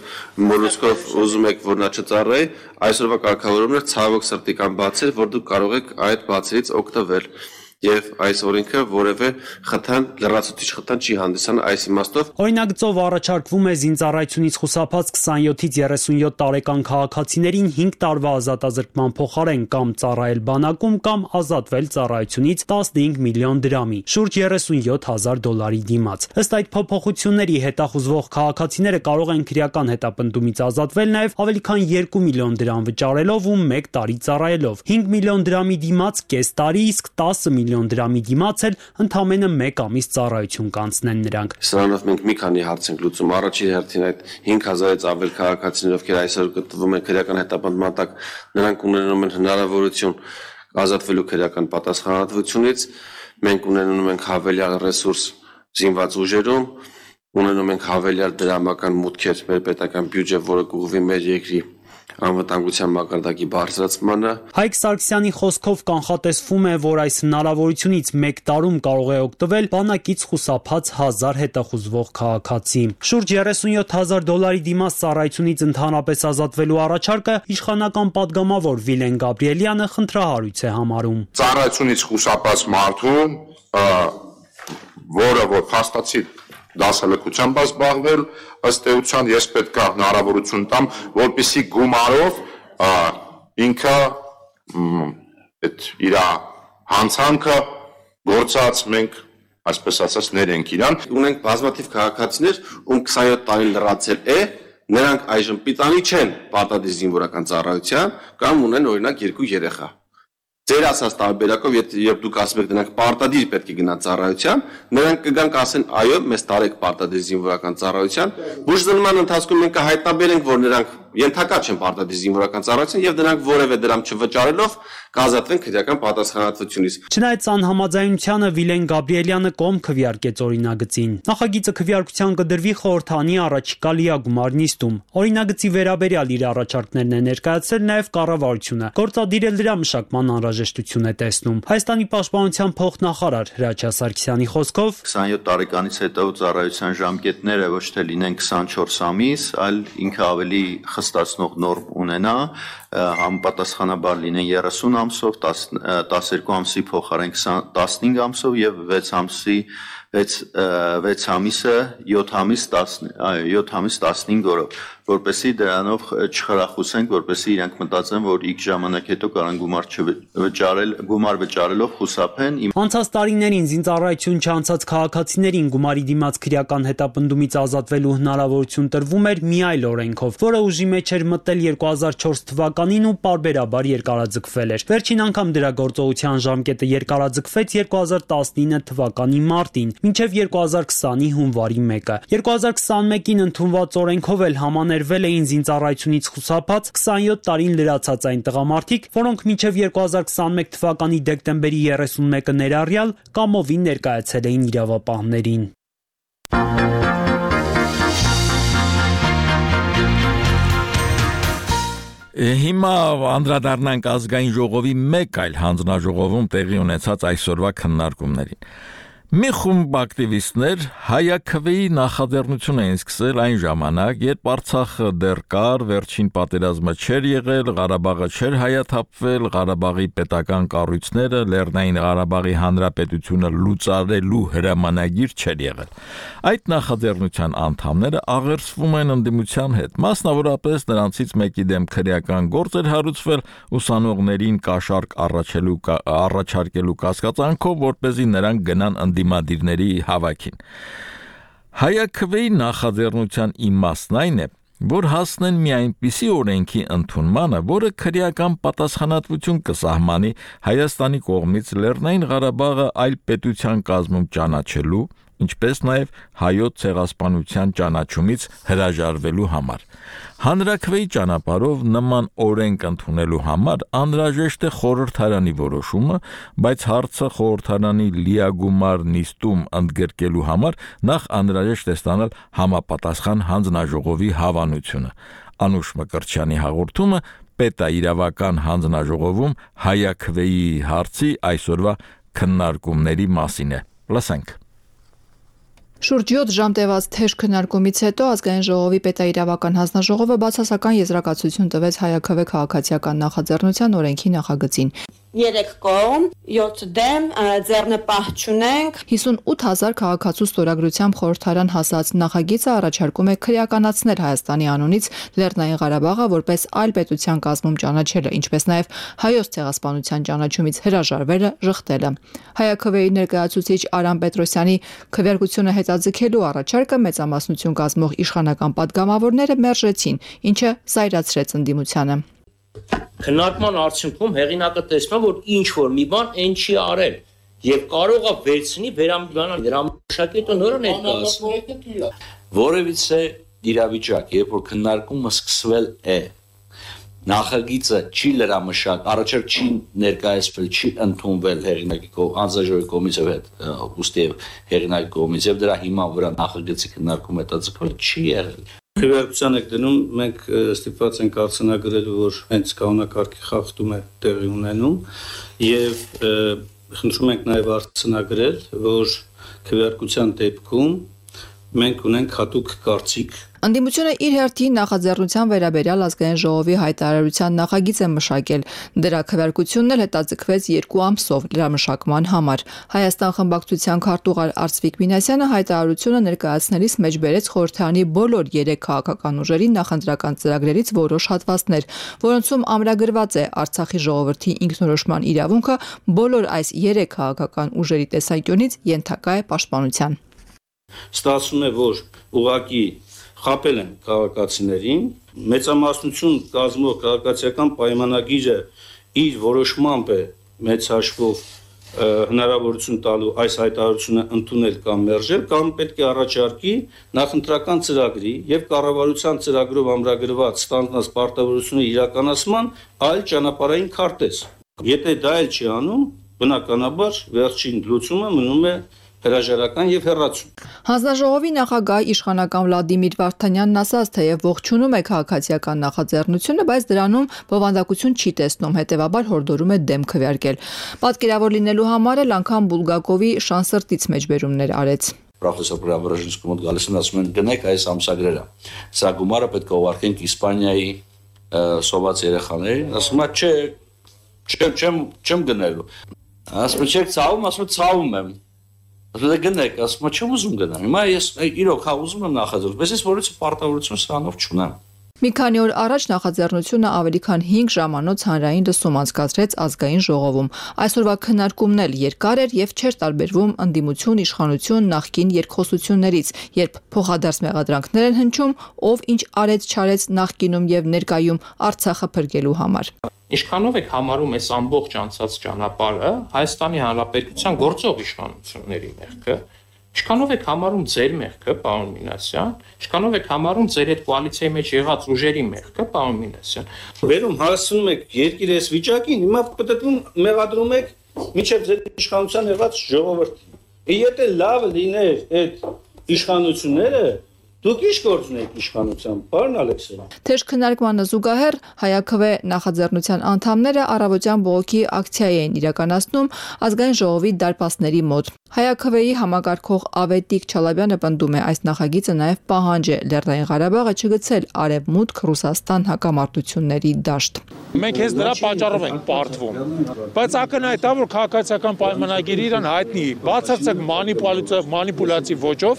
մոլուսկով ուզում եք, որ նա չծառայի, այսօրվա կարգավորումն է ցավոք սրտի կամ բացել, որ դուք կարող եք այդ բացերից օգտվել։ Եվ այս օրենքը որևէ խթան, լրացուցիչ խթան չի հանդիսանում այս իմաստով։ Օրինագծով առաջարկվում է զինծառայությունից խուսափած 27-ից 37 տարեկան քաղաքացիներին 5 տարվա ազատազրկման փոխարեն կամ ծառայել բանակում կամ ազատվել ծառայությունից 15 միլիոն դրամի, շուրջ $37,000 դիմաց։ Ըստ այդ փոփոխությունների հետախուզվող քաղաքացիները կարող են քրեական հետապնդումից ազատվել նաև ավելի քան 2 միլիոն դրամ վճարելով ու 1 տարի ծառայելով։ 5 միլիոն դրամի դիմաց կես տարի, իսկ 10 միլիոն դրամի դիմաց էլ ընդամենը 1 ամիս ծառայություն կանցնեն նրանք։ Սրանով մենք մի քանի հարց ենք լուծում։ Առաջին հերթին այդ 5000-ից ավել քաղաքացիներ, ովքեր այսօր գտնվում են քրեական հետապնդման տակ, նրանք ունենում են հնարավորություն ազատվելու քրեական պատասխանատվությունից։ Մենք ունենում ենք հավելյալ ռեսուրս զինված ուժերում, ունենում ենք հավելյալ դրամական մուտքեր մեր պետական բյուջե, որը կուղղվի մեր երկրի անվտանգության մակարդակի բարձրացմանը։ Հայկ Սարգսյանի խոսքով կանխատեսվում է, որ այս հնարավորությունից 1 տարում կարող է օգտվել բանակից խուսափած 1000 հետախուզվող քաղաքացի։ Շուրջ $37,000 դիմաց ծառայությունից ընդհանրապես ազատվելու առաջարկը իշխանական պատգամավոր Վիլեն Գաբրիելյանը խնդրահարույց է համարում։ Ծառայությունից խուսափած մարդու, որը որ փաստացի դասալքությամբ զբաղվել, ըստ էության ես պետք է հնարավորություն տամ, որպեսզի գումարով ինքը այդ իր հանցանքը գործած մենք այսպես ասած ներենք իրան։ Ունենք բազմաթիվ քաղաքացիներ, ում 27 տարին լրացել է, նրանք այժմ պիտանի չեն պարտադիր զինվորական ծառայության կամ ունեն օրինակ 2 երեխա։ Ձեր ասած տարբերակով, երբ դուք ասում եք նրանք պարտադիր պետք է գնան ծառայության, նրանք կգան կասեն, այո, մեզ տարեք պարտադիր զինվորական ծառայության, բուժզնման ընթացքում մենք կհայտնաբերենք, որ նրանք ենթակա չեն պարտադիր զինվորական ծառայության եւ նրանք որևէ դրամ չվճարելով կազատվեն քրեական պատասխանատվությունից։ Չնայած անհամաձայնությանը Վիլեն Գաբրիելյանը կողմ քվեարկեց օրինագծին։ Նախագիծը քվեարկության կդրվի խորհրդանի առաջիկա լիագումար նիստում։ Օրինագծի վերաբերյալ իր առաջարկներն է ներկայացրել նաև կառավարությունը։ Գործադիրը դրա մշակման անհրաժեշտություն է տեսնում։ Հայաստանի պաշտպանության փոխնախարար Հրաչյա Սարգսյանի խոսքով 27 տարեկանից հետո ծառայության ժամկետները ոչ թե լինեն 24 ամիս, այլ ինքը ավելի խստացնող նորմ ունենա, համապատասխանաբար լինեն 30 ամսով, 12 ամսի փոխարեն 15 ամսով եւ 6 ամիսը 7 ամիս 15 օրով, որպեսզի դրանով չխրախուսենք, որպեսզի իրանք մտածեն, որ X ժամանակ հետո կարան գումար վճարելով խուսափեն։ Անցած տարիներին զինծառայություն չանցած քաղաքացիներին գումարի դիմաց քրեական հետապնդումից ազատվելու հնարավորություն տրվում էր մի այլ օրենքով, որը ուժի մեջ էր մտել 2004 թվականին ու պարբերաբար երկարաձգվել էր։ Վերջին անգամ դրա գործողության ժամկետը երկարաձգվեց 2019 թվականի մարտին, մինչև 2020-ի հունվարի 1-ը։ 2021-ին ընդունված օրենքով էլ համաներվել էին զինծառայությունից խուսափած 27 տարին լրացած այն տղամարդիկ, որոնք մինչև 2021 թվականի դեկտեմբերի 31-ը ներառյալ կամովին ներկայացել էին իրավապահներին։ Հիմա անդրադառնանք ազգային ժողովի մեկ այլ հանձնաժողովում տեղի ունեցած այսօրվա քննարկումներին։ Մի խումբ ակտիվիստներ հայաքվեի նախաձեռնություն էին սկսել այն ժամանակ, երբ Արցախը դեռ կար, վերջին պատերազմը չէր եղել, Ղարաբաղը չէր հայաթափվել, Ղարաբաղի պետական կառույցները Լեռնային Ղարաբաղի Հանրապետությունը լուծարելու հրամանագիր չէր եղել։ Այդ նախաձեռնության անդամները աղերսվում են ընդդիմության հետ, մասնավորապես նրանցից մեկի դեմ քրեական գործ էր հարուցվել ուսանողներին կաշառք առաջարկելու կասկածանքով, որպեսզի նրանք գնան ընդդիմադիրների հավաքին։ Հայաքվեի նախաձեռնության իմաստն այն է, որ հասնեն մի այնպիսի օրենքի ընդունմանը, որը քրեական պատասխանատվություն կսահմանի Հայաստանի կողմից Լեռնային Ղարաբաղը այլ պետության կազմում ճանաչելու, ինչպես նաև հայոց ցեղասպանության ճանաչումից հրաժարվելու համար։ Հանրաքվեի ճանապարհով նման օրենք ընդունելու համար անհրաժեշտ է խորհրդարանի որոշումը, բայց հարցը խորհրդարանի լիագումար նիստում ընդգրկելու համար նախ անհրաժեշտ է ստանալ համապատասխան հանձնաժողովի հավանությունը։ Անուշ Մկրտչյանի հաղորդումը պետաիրավական հանձնաժողովում հայաքվեի հարցի այսօրվա քննարկումների մասին է։ Լսենք։ Շուրջ 7 ժամ տևած թեժ քննարկումից հետո ազգային ժողովի պետաիրավական հանձնաժողովը բացասական եզրակացություն տվեց հայաքվե քաղաքացիական նախաձեռնության օրենքի նախագծին։ 3 կողմ, 7 դեմ, ձեռնպահ չունենք։ 58000 քաղաքացու ստորագրությամբ խորհրդարան հասած նախագիծը առաջարկում է քրեականացնել Հայաստանի անունից Լեռնային Ղարաբաղը որպես այլ պետության կազմում ճանաչելը, ինչպես նաև հայոց ցեղասպանության ճանաչումից հրաժարվելը, ժխտելը։ Հայաքվեի ներկայացուցիչ Արամ Պետրոսյանի քվեարկությունը հետաձգելու առաջարկը մեծամասնություն կազմող իշխանական падգամավորները մերժեցին, ինչը զայրացրեց ընդդիմությանը։ Քննարկման արդյունքում հեղինակը տեսնում որ ինչ որ մի բան այն չի արել եւ կարող է վերցնի վերամիջանալ դրա մշակույթը նորը ներկայացնել որևիցե իրավիճակ երբ որ քննարկումը սկսվել է նախագիծը չի լրամշակ առաջարկ չի ներկայացվել չի ընդունվել հեղինակի անձաժողովի կողմից եւ ուստի հեղինակի կողմից եւ դրա հիման վրա նախագծի քննարկում հետաձգվել չի եղել Քվեարկության եք դնում, մենք ստիպված ենք արձանագրել, որ հենց կանոնակարգի խախտում է տեղի ունենում եւ խնդրում ենք նաեւ արձանագրել, որ քվեարկության դեպքում մենք ունենք հատուկ կարծիք Ընդդիմությունը իր հերթին նախաձեռնության վերաբերյալ ազգային ժողովի հայտարարության նախագիծ է մշակել։ Դրա քվեարկությունն էլ հետաձգվեց 2 ամսով լրամշակման համար։ Հայաստան խմբակցության քարտուղար Արծվիկ Մինասյանը հայտարարությունը ներկայացնելիս մեջ բերեց խորհրդարանի բոլոր 3 քաղաքական ուժերի նախընտրական ծրագրերից որոշ հատվածներ, որոնցում ամրագրված է Արցախի ժողովրդի ինքնորոշման իրավունքը բոլոր այս 3 քաղաքական ուժերի տեսանկյունից ենթակա է պաշտպանության։ Ստացվում է, որ ուղղակի խապել են քաղաքացիներին, մեծամասնություն կազմող քաղաքացիական պայմանագիրը իր որոշմամբ է մեծ հաշվով հնարավորություն տալու այս հայտարարությունը ընդունել կամ մերժել, կամ պետք է առաջարկի նախընտրական ծրագրի եւ կառավարության ծրագրով ամրագրված ստանձնած պարտավորությունը իրականացման այլ ճանապարհային քարտեզ։ Եթե դա էլ չի անում, բնականաբար վերջին լուծումը մնում է հրաժարական եւ հեռացում։ Հանձնաժողովի նախագահ իշխանական Վլադիմիր Վարդանյանն ասաց, թեև ողջունում է քաղաքացիական նախաձեռնությունը, բայց դրանում բովանդակություն չի տեսնում, հետեւաբար հորդորում է դեմ քվեարկել։ Պատկերավոր լինելու համար էլ անգամ Բուլգակովի շանսրտից մեջբերումներ արեց։ Պրոֆեսոր Պրավրաժինսկու մոտ գալիս են ասում են գնեք այս ամսագրերը։ Սա գումարը պետք է ուղարկենք Իսպանիայի սոված երեխաներին, ասում է չէ, չեմ գնելու։ Ասում եք ցավում, ասում ցավում եմ։ Ասում գնեք, ասում չեմ ուզում գնամ։ Հիմա ես իրոք ուզում եմ նախաձեռնել, բայց ես որից պարտավորություն սրանով չունեմ։ Մի քանի օր առաջ նախաձեռնությունը ավելի քան 5 ժամանոց հանրային լսում անցկացրեց ազգային ժողովում։ Այսօրվա քննարկումն էլ երկար էր եւ չէր տարբերվում ընդդիմություն, իշխանություն, նախկին երկխոսություններից, երբ փոխադարձ մեղադրանքներ են հնչում, ով ինչ արեց-չարեց նախկինում եւ ներկայում Արցախը փրկելու համար։ Ինչքանով եք համարում այս ամբողջ անցած ճանապարհը Հայաստանի Հանրապետության գործող իշխանությունների մեղքը, ինչքանով եք համարում ձեր մեղքը, պարոն Մինասյան, ինչքանով եք համարում ձեր այդ կոալիցիայի մեջ եղած ուժերի մեղքը, պարոն Մինասյան։ Վերում հասցնում եք երկիր այս վիճակին, հիմա պետք մեղադրում եք միջև ձեր իշխանության եղած ժողովրդին։ Եթե լավ լիներ այդ իշխանությունները, Դուք ի՞նչ գործ ունեք իշխանությամբ, պարոն Ալեքսյան։ Թեժ քննարկմանը զուգահեռ ՀԱՅԱՔՎ նախաձեռնության անդամները առավոտյան բողոքի ակցիա էին իրականացնում ազգային ժողովի դարպասների մոտ։ ՀԱՅԱՔՎ-ի համակարգող Ավետիք Չալաբյանը պնդում է, այս նախագիծը նաև պահանջ է Լեռնային Ղարաբաղը չգցել արևմուտք Ռուսաստան հակամարտությունների դաշտ։ Մենք հենց դրա պատճառով ենք պարտվում, բայց ակնհայտ է, որ քաղաքացիական պայմանագիրը իրան հայտնի, բացարձակ մանիպուլյատիվ ոճով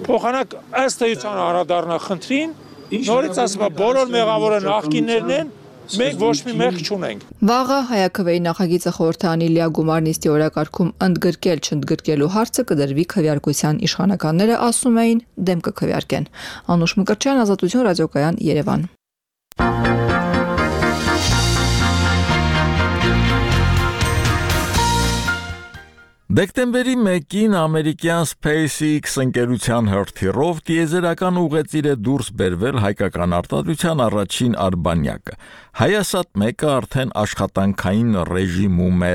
փոխանակ ըստ էության անդրադառնա խնդրին, նորից ասում եմ, բոլոր մեղավորը նախկիններն են, մենք ոչ մի մեղք չունենք։ Վաղը ՀԱՅԱՔՎ-ի նախագիծը խորհրդանի լիագումար նիստի օրակարգում ընդգրկել-չընդգրկելու հարցը կդրվի քվեարկության իշխանականները ասում էին դեմ կքվեարկեն։ Անուշ Մկրտչյան, Ազատություն ռադիոկայան, Երևան։ Դեկտեմբերի 1-ին ամերիկյան SpaceX ընկերության հրթիռով տիեզերական ուղեծիր է դուրս բերվել հայկական արտադրության առաջին արբանյակը։ Հայասատ-1-ը արդեն աշխատանքային ռեժիմում է։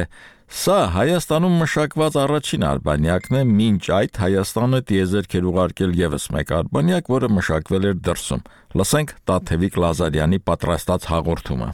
Սա Հայաստանում մշակված առաջին արբանյակն է, մինչ այդ Հայաստանը տիեզերք էր ուղարկել եւս մեկ արբանյակ, որը մշակվել էր դրսում։ Լսենք Տաթևիկ Լազարյանի պատրաստած հաղորդումը։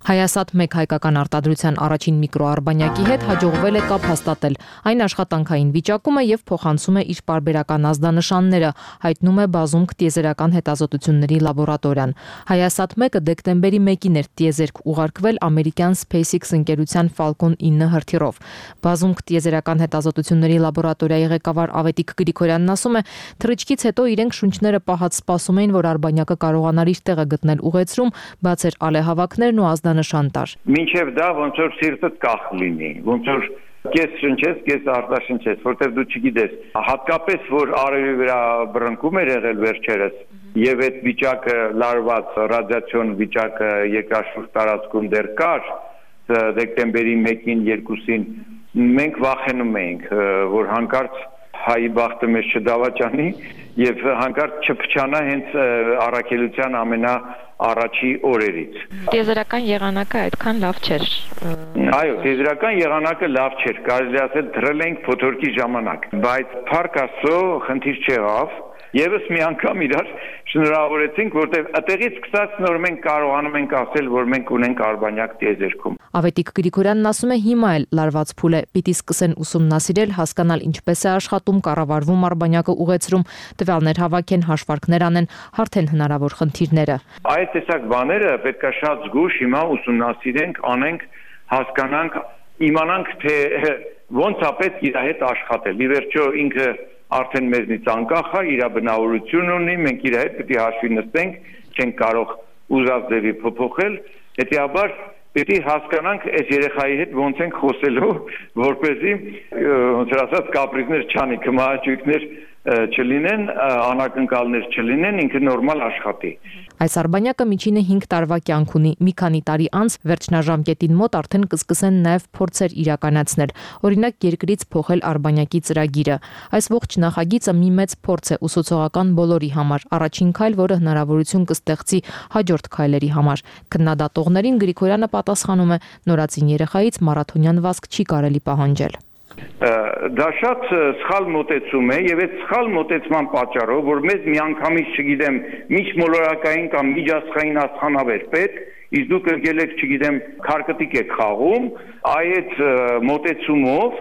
Հայասատ-1 հայկական արտադրության առաջին միկրոարբանյակի հետ հաջողվել է կապ հաստատել։ Այն աշխատանքային վիճակում է եւ փոխանցում է իր պարբերական ազդանշանները, հայտնում է Բազումք տիեզերական հետազոտությունների լաբորատորիան։ Հայասատ-1-ը դեկտեմբերի 1-ին էր տիեզերք ուղարկվել ամերիկյան SpaceX ընկերության Falcon 9 հրթիռով։ Բազումք տիեզերական հետազոտությունների լաբորատորիայի ղեկավար Ավետիք Գրիգորյանն ասում է, թռիչքից հետո իրենք շունչները պահած սպասում էին, որ արբանյակը կարողանար իր տեղը գտնել ուղեծրում, բացեր ալեհավաքներն ու ազդանշան տար։ Մինչև դա ոնց որ սիրտդ կախ լինի, ոնց որ կես շնչես, կես արտաշնչես, որտեղ դու չգիտես, հատկապես որ արևի վրա բռնկում էր եղել վերջերս, եւ այդ վիճակը լարված ռադիացիոն վիճակը երկրաշուրջ տարածքում դեռ կար, դեկտեմբերի 1-ին, 2-ին մենք վախենում էինք, որ հանկարծ հայի բախտը մեզ չդավաճանի եւ հանկարծ չփչանա հենց առաքելության առաջի օրերից։ Տիեզերական եղանակը այդքան լավ չէր։ Այո, տիեզերական եղանակը լավ չէր, կարելի ասել դրել ենք փոթորկի ժամանակ, բայց Փառք Աստծո խնդիր չեղավ։ Եվս մի անգամ իրար շնորհավորեցինք, որտեղ այդտեղից սկսած նոր մենք կարողանում ենք ասել, որ մենք ունենք արբանյակ տիեզերքում։ Ավետիք Գրիգորյանն ասում է, հիմա էլ լարված փուլ է, պիտի սկսեն ուսումնասիրել, հասկանալ ինչպես է աշխատում, կառավարվում արբանյակը ուղեցրում, տվյալներ հավաքեն, հաշվարկներ անեն, հարթեն հնարավոր խնդիրները։ Այդ տեսակ բաները պետքա շատ զգուշ հիմա ուսումնասիրենք, անենք, հասկանանք, իմանանք, թե ոնց է պետք իր հետ աշխատել։ Ի վերջո ինքը արդեն մեզնից անկախ է, իր բնավորություն ունի, մենք իր հետ պետք է հաշվի նստենք, չենք կարող ուզած ձևի փոփոխել, հետեւաբար պետք է հասկանանք այս երեխայի հետ ոնց ենք խոսելու, որպեսզի ոնց ասած կապրիզներ չանի, կմահաճույքներ չլինեն, անակնկալներ չլինեն, ինքը նորմալ աշխատի։ Այս արբանյակը միջինը 5 տարվա կյանք ունի։ Մի քանի տարի անց վերջնաժամկետին մոտ արդեն կսկսեն նաև փորձեր իրականացնել։ Օրինակ երկրից փոխել արբանյակի ծրագիրը։ Այս ողջ նախագիծը մի մեծ փորձ է ուսուցողական բոլորի համար։ Առաջին քայլ, որը հնարավորություն կստեղծի հաջորդ քայլերի համար։ Քննադատողներին Գրիգորյանը պատասխանում է, նորածին երեխայից մարաթոնյան վազք չի կարելի պահանջել։ Դա շատ սխալ մոտեցում է եւ այդ սխալ մոտեցման պատճառով, որ մեզ միանգամից, չգիտեմ, միջմոլորակային կամ միջազգային աստղանավեր պետք, իսկ դուք եկել եք, չգիտեմ, քարկտիկ եք խաղում, այդ մոտեցումով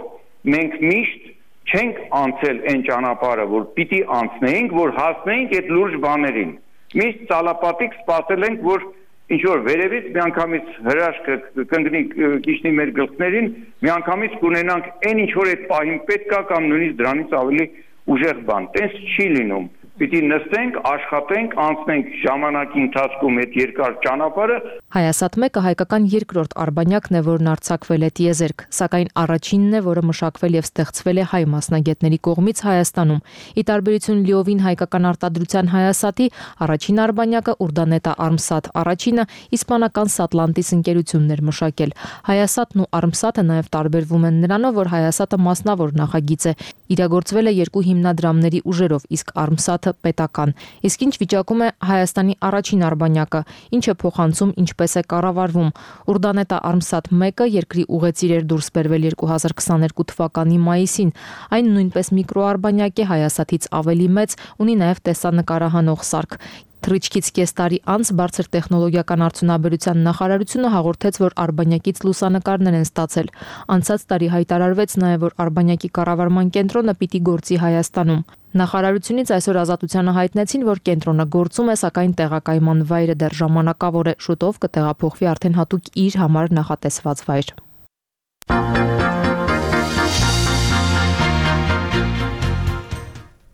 մենք միշտ չենք անցել այն ճանապարհը, որ պիտի անցնեինք, որ հասնեինք այդ լուրջ բաներին։ Միշտ ցալապատիկ սպասել ենք, որ ինչ որ վերևից միանգամից հրաշքը կընկնի քիչնի մեր գլխներին, միանգամից կունենանք այն ինչ որ այդ պահին պետք է կամ նույնիսկ դրանից ավելի ուժեղ բան։ Տես չի լինում։ Պիտի նստենք, աշխատենք, անցնենք ժամանակի ընթացքում այդ երկար ճանապարհը։ Հայասատ-1-ը հայկական երկրորդ արբանյակն է, որն արձակվել է տիեզերք, սակայն առաջինն է, որը մշակվել եւ ստեղծվել է հայ մասնագետների կողմից Հայաստանում։ Ի տարբերություն լիովին հայկական արտադրության Հայասատի, առաջին արբանյակը Ուրդանետա Արմսատ առաջինը իսպանական Սատլանտիս ընկերությունն էր մշակել։ Հայասատն ու Արմսատը նաեւ տարբերվում են նրանով, որ Հայասատը մասնավոր նախագիծ է, իրագործվել է 2 հիմնադրամների ուժերով, իսկ Արմսատը պետական։ Իսկ ինչ վիճակում է Հայաստանի առաջին արբանյակը, ինչ է փոխանցում, ինչպես ինչպես է կառավարվում։ Ուրդանետա Արմսատ 1-ը երկրի ուղեցիր էր դուրս բերվել 2022 թվականի մայիսին։ Այն նույնպես միկրոարբանյակ է, Հայասատից ավելի մեծ, ունի նաև տեսանկարահանող սարք։ Թռիչքից կես տարի անց բարձր տեխնոլոգիական արդյունաբերության նախարարությունը հաղորդեց, որ Արբանյակից լուսանկարներ են ստացել։ Անցած տարի հայտարարվեց նաև, որ Արբանյակի կառավարման կենտրոնը պիտի գործի Հայաստանում։ Նախարարությունից այսօր Ազատությանը հայտնեցին, որ կենտրոնը գործում է, սակայն տեղակայման վայրը դեռ ժամանակավոր է, շուտով կտեղափոխվի արդեն հատուկ իր համար նախատեսված վայր։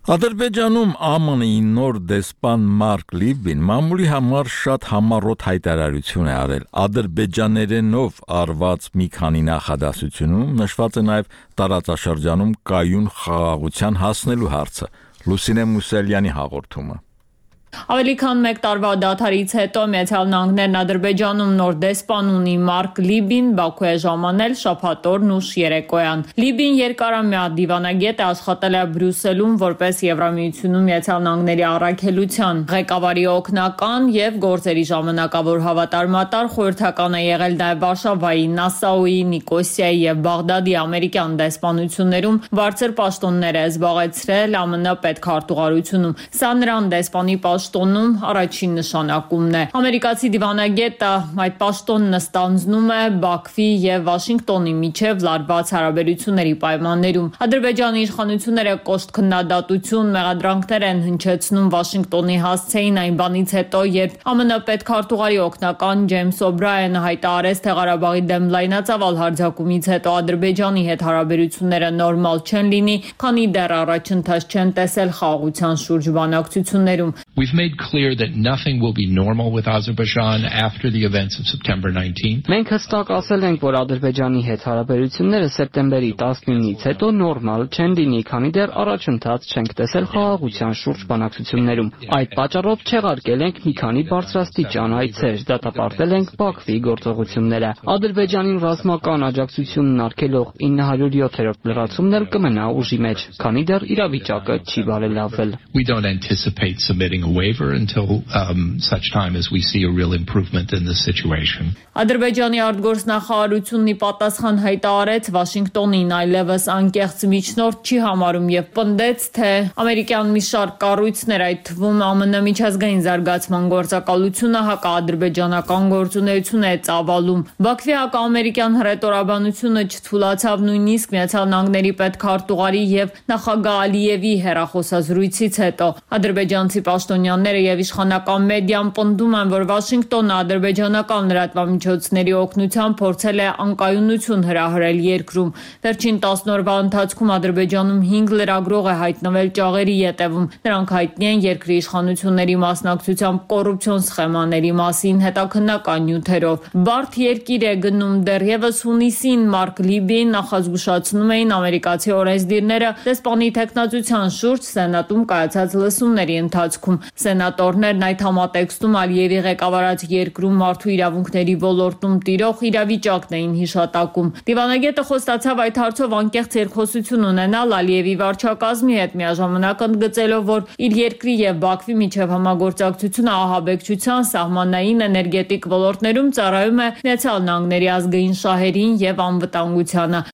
Ադրբեջանում ԱՄՆ-ի նոր դեսպան Մարկ Լիբին մամուլի համար շատ համառոտ հայտարարություն է արել։ Ադրբեջաներենով արված մի քանի նախադասությունում նշված է նաև տարածաշրջանում կայուն խաղաղության հասնելու հարցը։ Լուսինե Մուսելյանի հաղորդումը։ Ավելի քան 1 տարվա դադարից հետո Միացյալ Նահանգներն Ադրբեջանում նոր դեսպան ունի Մարկ Լիբին Բաքու է ժամանել շաբաթօրն ուշ երեկոյան։ Լիբին երկարամյա դիվանագետ է, աշխատել է Բրյուսելում որպես Եվրամիությունում Միացյալ Նահանգների առաքելության ղեկավարի օգնական եւ գործերի ժամանակավոր հավատարմատար, խորհրդական է եղել նաև Վարշավայի, Նասաուի, Նիկոսիայի եւ Բաղդադի ամերիկյան դեսպանություններում բարձր պաշտոններ է զբաղեցրել ԱՄՆ պետքարտուղարությունում։ Սա նրան դեսպանի պաշտոնում առաջին նշանակումն է։ Ամերիկացի դիվանագետը այդ պաշտոնն ստանձնում է Բաքվի եւ Վաշինգտոնի միջև լարված հարաբերությունների պայմաններում։ Ադրբեջանի իշխանությունները կոշտ քննադատություն, մեղադրանքներ են հնչեցնում Վաշինգտոնի հասցեին այն բանից հետո, երբ ԱՄՆ պետքարտուղարի օգնական Ջեյմս Օբրայենը հայտարարեց, թե Ղարաբաղի դեմ լայնածավալ հարձակումից հետո Ադրբեջանի հետ հարաբերությունները նորմալ չեն լինի, քանի դեռ առաջընթաց չեն տեսել խաղաղության շուրջ բանակցություններում։ We've made clear that nothing will be normal with Azerbaijan after the events of September 19. Մենք հստակ ասել ենք, որ Ադրբեջանի հետ հարաբերությունները սեպտեմբերի 19-ից հետո նորմալ չեն լինի, քանի դեռ առաջընթաց չենք տեսել խաղաղության շուրջ բանակցություններում։ Այդ պատճառով չեղարկել ենք մի քանի բարձրաստիճան այցեր, դատապարտել ենք Բաքվի գործողությունները։ Ադրբեջանին ռազմական աջակցությունն արգելող 907-րդ լրացումն էլ կմնա ուժի մեջ, քանի դեռ իրավիճակը չի բարելավվել։ We don't anticipate submitting a waiver until such time as we see a real improvement in the situation. Ադրբեջանի արտգործնախարարությունն ի պատասխան հայտարարեց Վաշինգտոնին այլևս անկեղծ միջնորդ չի համարում եւ պնդեց, թե ամերիկյան մի շարք կառույցներ, այդ թվում ԱՄՆ միջազգային զարգացման գործակալությունը հակաադրբեջանական գործունեություն է ծավալում։ Բաքվի հակաամերիկյան հռետորաբանությունը չթուլացավ նույնիսկ Միացյալ Նահանգների պետքարտուղարի եւ նախագահ Ալիևի հեռախոսազրույցից հետո։ Ադրբեջանցի պաշտոնյաները եւ իշխանական մեդիան պնդում են, որ Վաշինգտոնը ադրբեջանական լրատվամիջոցների օգնությամբ փորձել է անկայունություն հրահրել երկրում։ Վերջին 10 օրվա ընթացքում Ադրբեջանում 5 լրագրող է հայտնվել ճաղերի ետևում։ Նրանք հայտնի են երկրի իշխանությունների մասնակցությամբ կոռուպցիոն սխեմաների մասին հետաքննական նյութերով։ Բարդ երկիր է գնում դեռևս հունիսին Մարկ Լիբին նախազգուշացնում էին ամերիկացի օրենսդիրները դեսպանի տեխնացության շուրջ Սենատում կայացած լսումների ընթացքում։ Սենատորներն այդ համատեքստում Ալիևի ղեկավարած երկրում մարդու իրավունքների ոլորտում տիրող իրավիճակն էին հիշատակում։ Դիվանագետը խոստացավ այդ հարցով անկեղծ երկխոսություն ունենալ Ալիևի վարչակազմի հետ, միաժամանակ ընդգծելով, որ իր երկրի եւ Բաքվի միջև համագործակցությունը ահաբեկչության, սահմանային, էներգետիկ ոլորտներում ծառայում է Միացյալ Նահանգների ազգային շահերին եւ անվտանգությանը։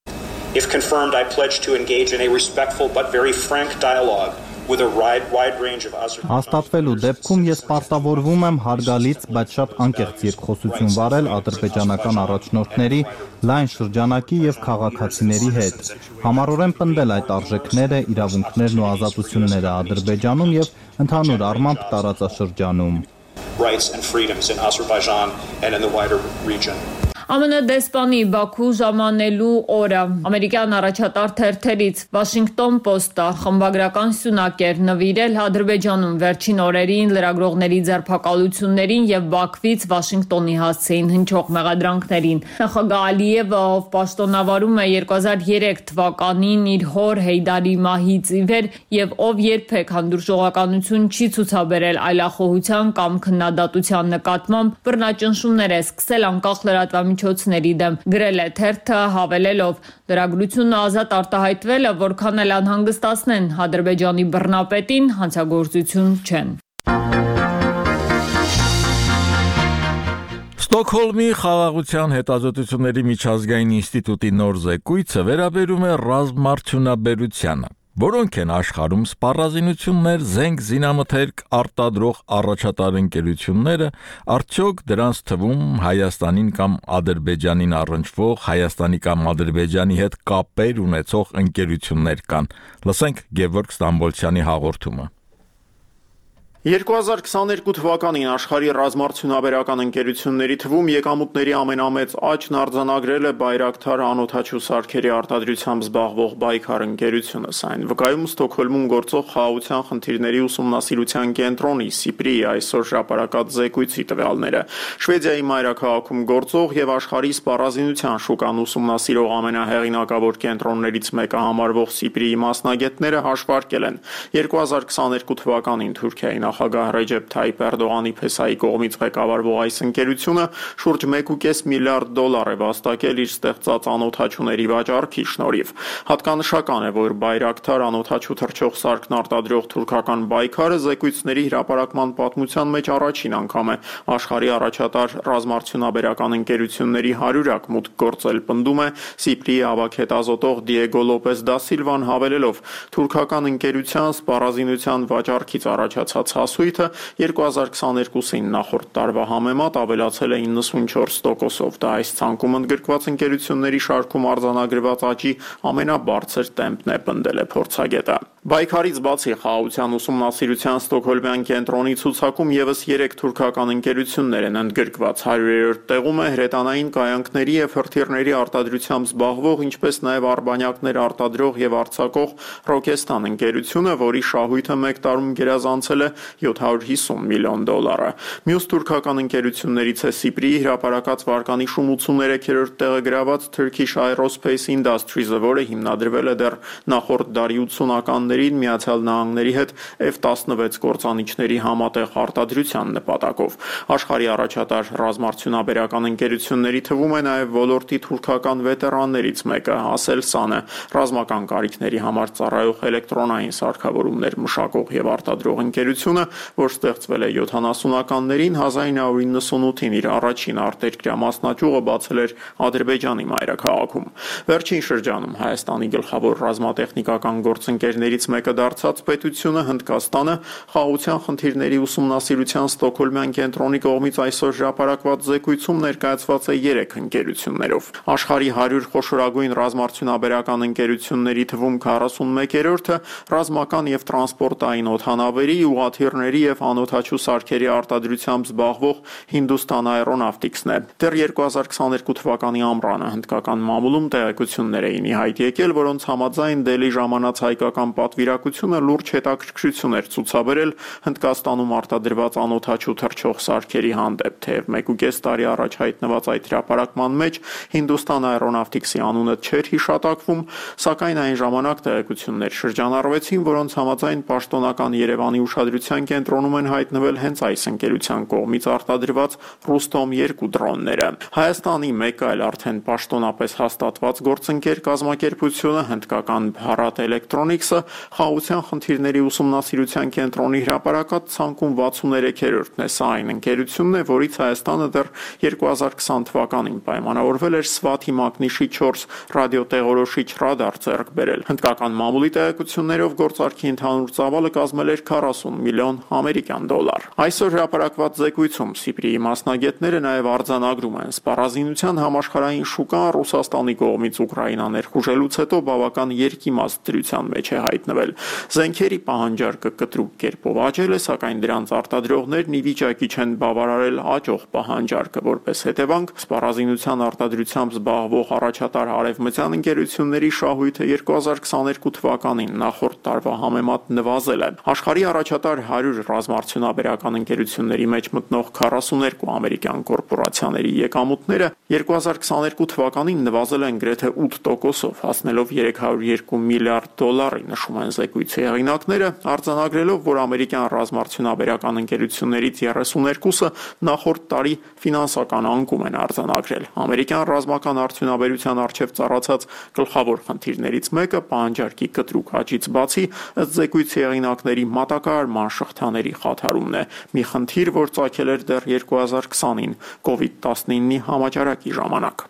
If confirmed, I pledge to engage in a respectful but very frank dialogue with a wide range of Հաստատվելու դեպքում ես պարտավորվում եմ հարգալից, բայց շատ անկեղծ երկխոսություն վարել ադրբեջանական առաջնորդների, լայն շրջանակի եւ քաղաքացիների հետ։ Համառորեն պնդել այդ արժեքները, իրավունքներն ու ազատությունները Ադրբեջանում եւ ընդհանուր առմամբ տարածաշրջանում։ Rights and freedoms in Azerbaijan and in the wider region. ԱՄՆ դեսպանի Բաքու ժամանելու օրը ամերիկյան առաջատար թերթերից Washington Post-ը խմբագրական սյունակ էր նվիրել Ադրբեջանում վերջին օրերին լրագրողների ձերբակալություններին եւ Բաքվից Վաշինգտոնի հասցեին հնչող մեղադրանքներին։ Նախագահ Ալիևը, ով պաշտոնավարում է 2003 թվականին իր հոր Հեյդարի մահից ի վեր եւ ով երբեք հանդուրժողականություն չի ցուցաբերել այլախոհության կամ քննադատության նկատմամբ, բռնաճնշումներ է սկսել անկախ լրատվամիջոցների դեմ։ Գրել է թերթը հավելելով. լրագրությունը ազատ արտահայտվելը, որքան էլ անհանգստացնեն Ադրբեջանի բռնապետին, հանցագործություն չեն։ Ստոկհոլմի խաղաղության հետազոտությունների միջազգային ինստիտուտի նոր զեկույցը վերաբերում է ռազմարդյունաբերությանը, որոնք են աշխարհում սպառազինություններ, զենք, զինամթերք արտադրող առաջատար ընկերությունները, արդյոք դրանց թվում Հայաստանին կամ Ադրբեջանին առնչվող, Հայաստանի կամ Ադրբեջանի հետ կապեր ունեցող ընկերություններ կան։ Լսենք Գևորգ Ստամբոլցյանի հաղորդումը։ 2022 թվականին աշխարհի ռազմարդյունաբերական ընկերությունների թվում եկամուտների ամենամեծ աճն արձանագրել է Բայրակթար անօդաչու սարքերի արտադրությամբ զբաղվող Բայքար ընկերությունը։ Սա վկայում Ստոկհոլմում գործող խաղաղության խնդիրների ուսումնասիրության կենտրոնի Սիպրիի այսօր հրապարակած զեկույցի տվյալները։ Շվեդիայի մայրաքաղաքում գործող եւ աշխարհի սպառազինության շուկան ուսումնասիրող ամենահեղինակավոր կենտրոններից մեկը համարվող Սիպրիի մասնագետները հաշվարկել են 2022 թվականին Թուրքիայի նախագահ Ռեջեփ Թայիփ Էրդողանի փեսայի կողմից ղեկավարվող այս ընկերությունը շուրջ 1.5 միլիարդ դոլար է վաստակել իր ստեղծած անօդաչուների վաճառքի շնորհիվ։ Հատկանշական է, որ Բայրակթար անօդաչու թռչող սարքն արտադրող թուրքական Բայքարը զեկույցների հրապարակման պատմության մեջ առաջին անգամ է աշխարհի առաջատար ռազմարդյունաբերական ընկերությունների 100-ակ մուտք գործել, պնդում է Սիպրիի ավագ Դիեգո Լոպես դա Սիլվան հավելելով թուրքական ընկերության սպառազինության վաճառքից առաջացած հասույթը 2022-ին նախորդ տարվա համեմատ ավելացել է 94%-ով։ Դա այս ցանկում ընդգրկված ընկերությունների շարքում արձանագրված աճի ամենաբարձր տեմպն է, պնդել է փորձագետը։ Բայքարից բացի խաղաղության ուսումնասիրության ստոկհոլմյան կենտրոնի ցուցակում եւս 3 թուրքական ընկերություններ են ընդգրկված։ 100-րդ տեղում է հրետանային կայանքների եւ հրթիռների արտադրությամբ զբաղվող, ինչպես նաեւ արբանյակներ արտադրող եւ արձակող Ռոկեստան ընկերությունը, որի շահույթը 1 տարում գերազանցել է $750 միլիոն։ Մյուս թուրքական ընկերություններից է Սիպրիի հրապարակած վարկանիշ 83-րդ տեղը գրաված Turkish Aerospace Industries-ը, որը հիմնադրվել է դեռ նախորդ դարի 80-ականներին Միացյալ Նահանգների հետ F-16 կործանիչների համատեղ արտադրության նպատակով։ Աշխարհի առաջատար ռազմարդյունաբերական ընկերությունների թվում է նաև ոլորտի թուրքական վետերաններից մեկը Aselsan-ը, ռազմական կարիքների համար ծառայող էլեկտրոնային սարքավորումներ մշակող եւ արտադրող ընկերությունը, որ ստեղծվել է 70-ականներին, 1998-ին իր առաջին արտերկրյա մասնաճյուղը բացել էր Ադրբեջանի մայրաքաղաքում։ Վերջին շրջանում Հայաստանի գլխավոր ռազմատեխնիկական գործընկերներից մեկը դարձած պետությունը Հնդկաստանը խաղաղության խնդիրների ուսումնասիրության ստոկհոլմյան կենտրոնի կողմից այսօր հրապարակված զեկույցում ներկայացված է 3 ընկերություններով։ Աշխարհի 100 խոշորագույն ռազմարդյունաբերական ընկերությունների թվում 41-րդը ռազմական եւ տրանսպորտային օդանավերի, ուղղաթիռների եւ անօդաչու սարքերի արտադրությամբ զբաղվող Hindustan Aeronautics-ն է։ Դեռ 2022 թվականի ամռանը հնդկական մամուլում տեղեկություններ էին ի հայտ եկել, որոնց համաձայն Դելի ժամանած հայկական պատվիրակությունը լուրջ հետաքրքրություն էր ցուցաբերել Հնդկաստանում արտադրված անօդաչու թռչող սարքերի հանդեպ, թեև 1.5 տարի առաջ հայտնված այդ հրապարակման մեջ Hindustan Aeronautics-ի անունը չէր հիշատակվում, սակայն այն ժամանակ տեղեկություններ շրջանառվեցին, որոնց համաձայն պաշտոնական Երևանի ուշադրության կենտրոնում են հայտնվել հենց այս ընկերության կողմից արտադրված Ռուստոմ 2 դրոնները։ Հայաստանի մեկ այլ արդեն պաշտոնապես հաստատված գործընկեր կազմակերպությունը հնդկական Bharat Electronics-ը խաղաղության խնդիրների ուսումնասիրության կենտրոնի հրապարակած ցանկում 63-րդն է։ Սա այն ընկերությունն է, որից Հայաստանը դեռ 2020 թվականին պայմանավորվել էր Swati մակնիշի 4 ռադիոտեղորոշիչ ռադար ձեռք բերել։ Հնդկական մամուլի տեղեկություններով գործարքի ընդհանուր ծավալը կազմել էր 40 միլիոն ամերիկյան դոլար։ Այսօր հրապարակված զեկույցում Սիպրիի մասնագետները նաև արձանագրում են սպառազինության համաշխարհային շուկան Ռուսաստանի կողմից Ուկրաինան ներխուժելուց հետո բավական երկիմաստ դրության մեջ է հայտնվել։ Զենքերի պահանջարկը կտրուկ կերպով աճել է, սակայն դրանց արտադրողներն ի վիճակի չեն բավարարել աճող պահանջարկը, որպես հետևանք սպառազինության արտադրությամբ զբաղվող առաջատար արևմտյան ընկերությունների շահույթը 2022 թվականին նախորդ տարվա համեմատ նվազել է։ Աշխարհի առաջատար 100 ռազմարդյունաբերական ընկերությունների մեջ մտնող 42 ամերիկյան կորպորացիաների եկամուտները 2022 թվականին նվազել են գրեթե 8%-ով, հասնելով $302 միլիարդ, նշում է են զեկույցի հեղինակները, արձանագրելով, որ ամերիկյան ռազմարդյունաբերական ընկերություններից 32-ը նախորդ տարի ֆինանսական անկում են արձանագրել։ Ամերիկյան ռազմական արդյունաբերության առջև ծառացած գլխավոր խնդիրներից մեկը պահանջարկի կտրուկ աճից բացի, ըստ զեկույցի հեղինակների, մատակարարման շղթաների խաթարումն է, մի խնդիր, որ ծագել էր դեռ 2020-ին COVID-19-ի համաճարակի ժամանակ։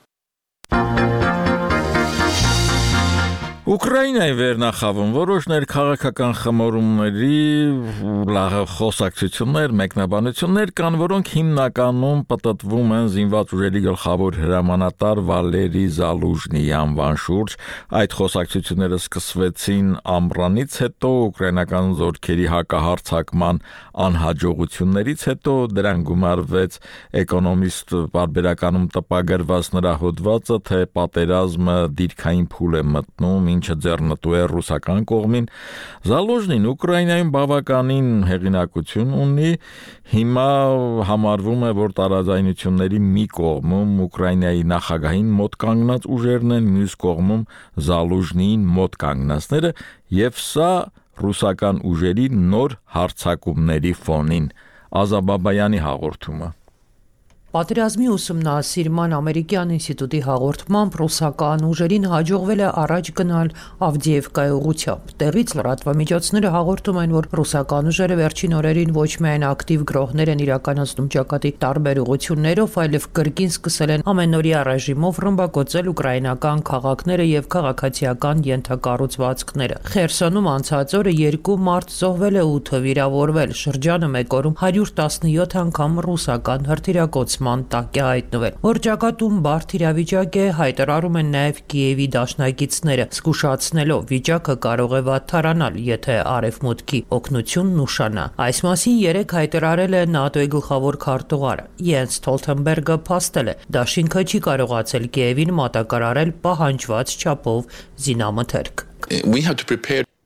Ուկրաինայի վերնախավում որոշ ներքաղաքական խմորումների խոսակցություններ, մեկնաբանություններ կան, որոնք հիմնականում պտտվում են զինված ուժերի գլխավոր հրամանատար Վալերի Զալուժնիի անվան շուրջ։ Այդ խոսակցությունները սկսվեցին ամռանից հետո, ուկրաինական զորքերի հակահարձակման անհաջողություններից հետո, դրան գումարվեց Էկոնոմիստ պարբերականում տպագրված նրա հոդվածը, թե պատերազմը դիրքային փուլ է մտնում, ինչը ձեռնտու է ռուսական կողմին։ Զալուժնին Ուկրաինայում բավականին հեղինակություն ունի, հիմա համարվում է, որ տարաձայնությունների մի կողմում Ուկրաինայի նախագահին մոտ կանգնած ուժերն են, մյուս կողմում Զալուժնիին մոտ կանգնածները, եւ սա ռուսական ուժերի նոր հարձակումների ֆոնին։ Ազաբաբայանի հաղորդումը։ Պատերազմի ուսումնասիրման ամերիկյան ինստիտուտի հաղորդմամբ ռուսական ուժերին հաջողվել է առաջ գնալ Ավդիևկայի ուղղությամբ։ Տեղից լրատվամիջոցները հաղորդում են, որ ռուսական ուժերը վերջին օրերին ոչ միայն ակտիվ գրոհներ են իրականացնում ճակատի տարբեր ուղղություններով, այլև կրկին սկսել են ամենօրյա ռեժիմով ռմբակոծել ուկրաինական քաղաքները եւ քաղաքացիական ենթակառուցվածքները։ Խերսոնում անցած օրը 2 մարդ զոհվել է, 8-ը վիրավորվել։ Շրջանը մեկ օրում 117 անգամ ռուսական հրթիռակոծման տակ է հայտնվել։ Որ ճակատում բարդ իրավիճակ է, հայտարարում են նաև Կիևի դաշնակիցները, զգուշացնելով վիճակը կարող է վատթարանալ, եթե արևմուտքի օգնությունն ուշանա։ Այս մասին երեկ հայտարարել է ՆԱՏՕ-ի գլխավոր քարտուղարը Յենս Ստոլթենբերգը փաստել է, դաշինքը չի կարողացել Կիևին մատակարարել պահանջված չափով զինամթերք։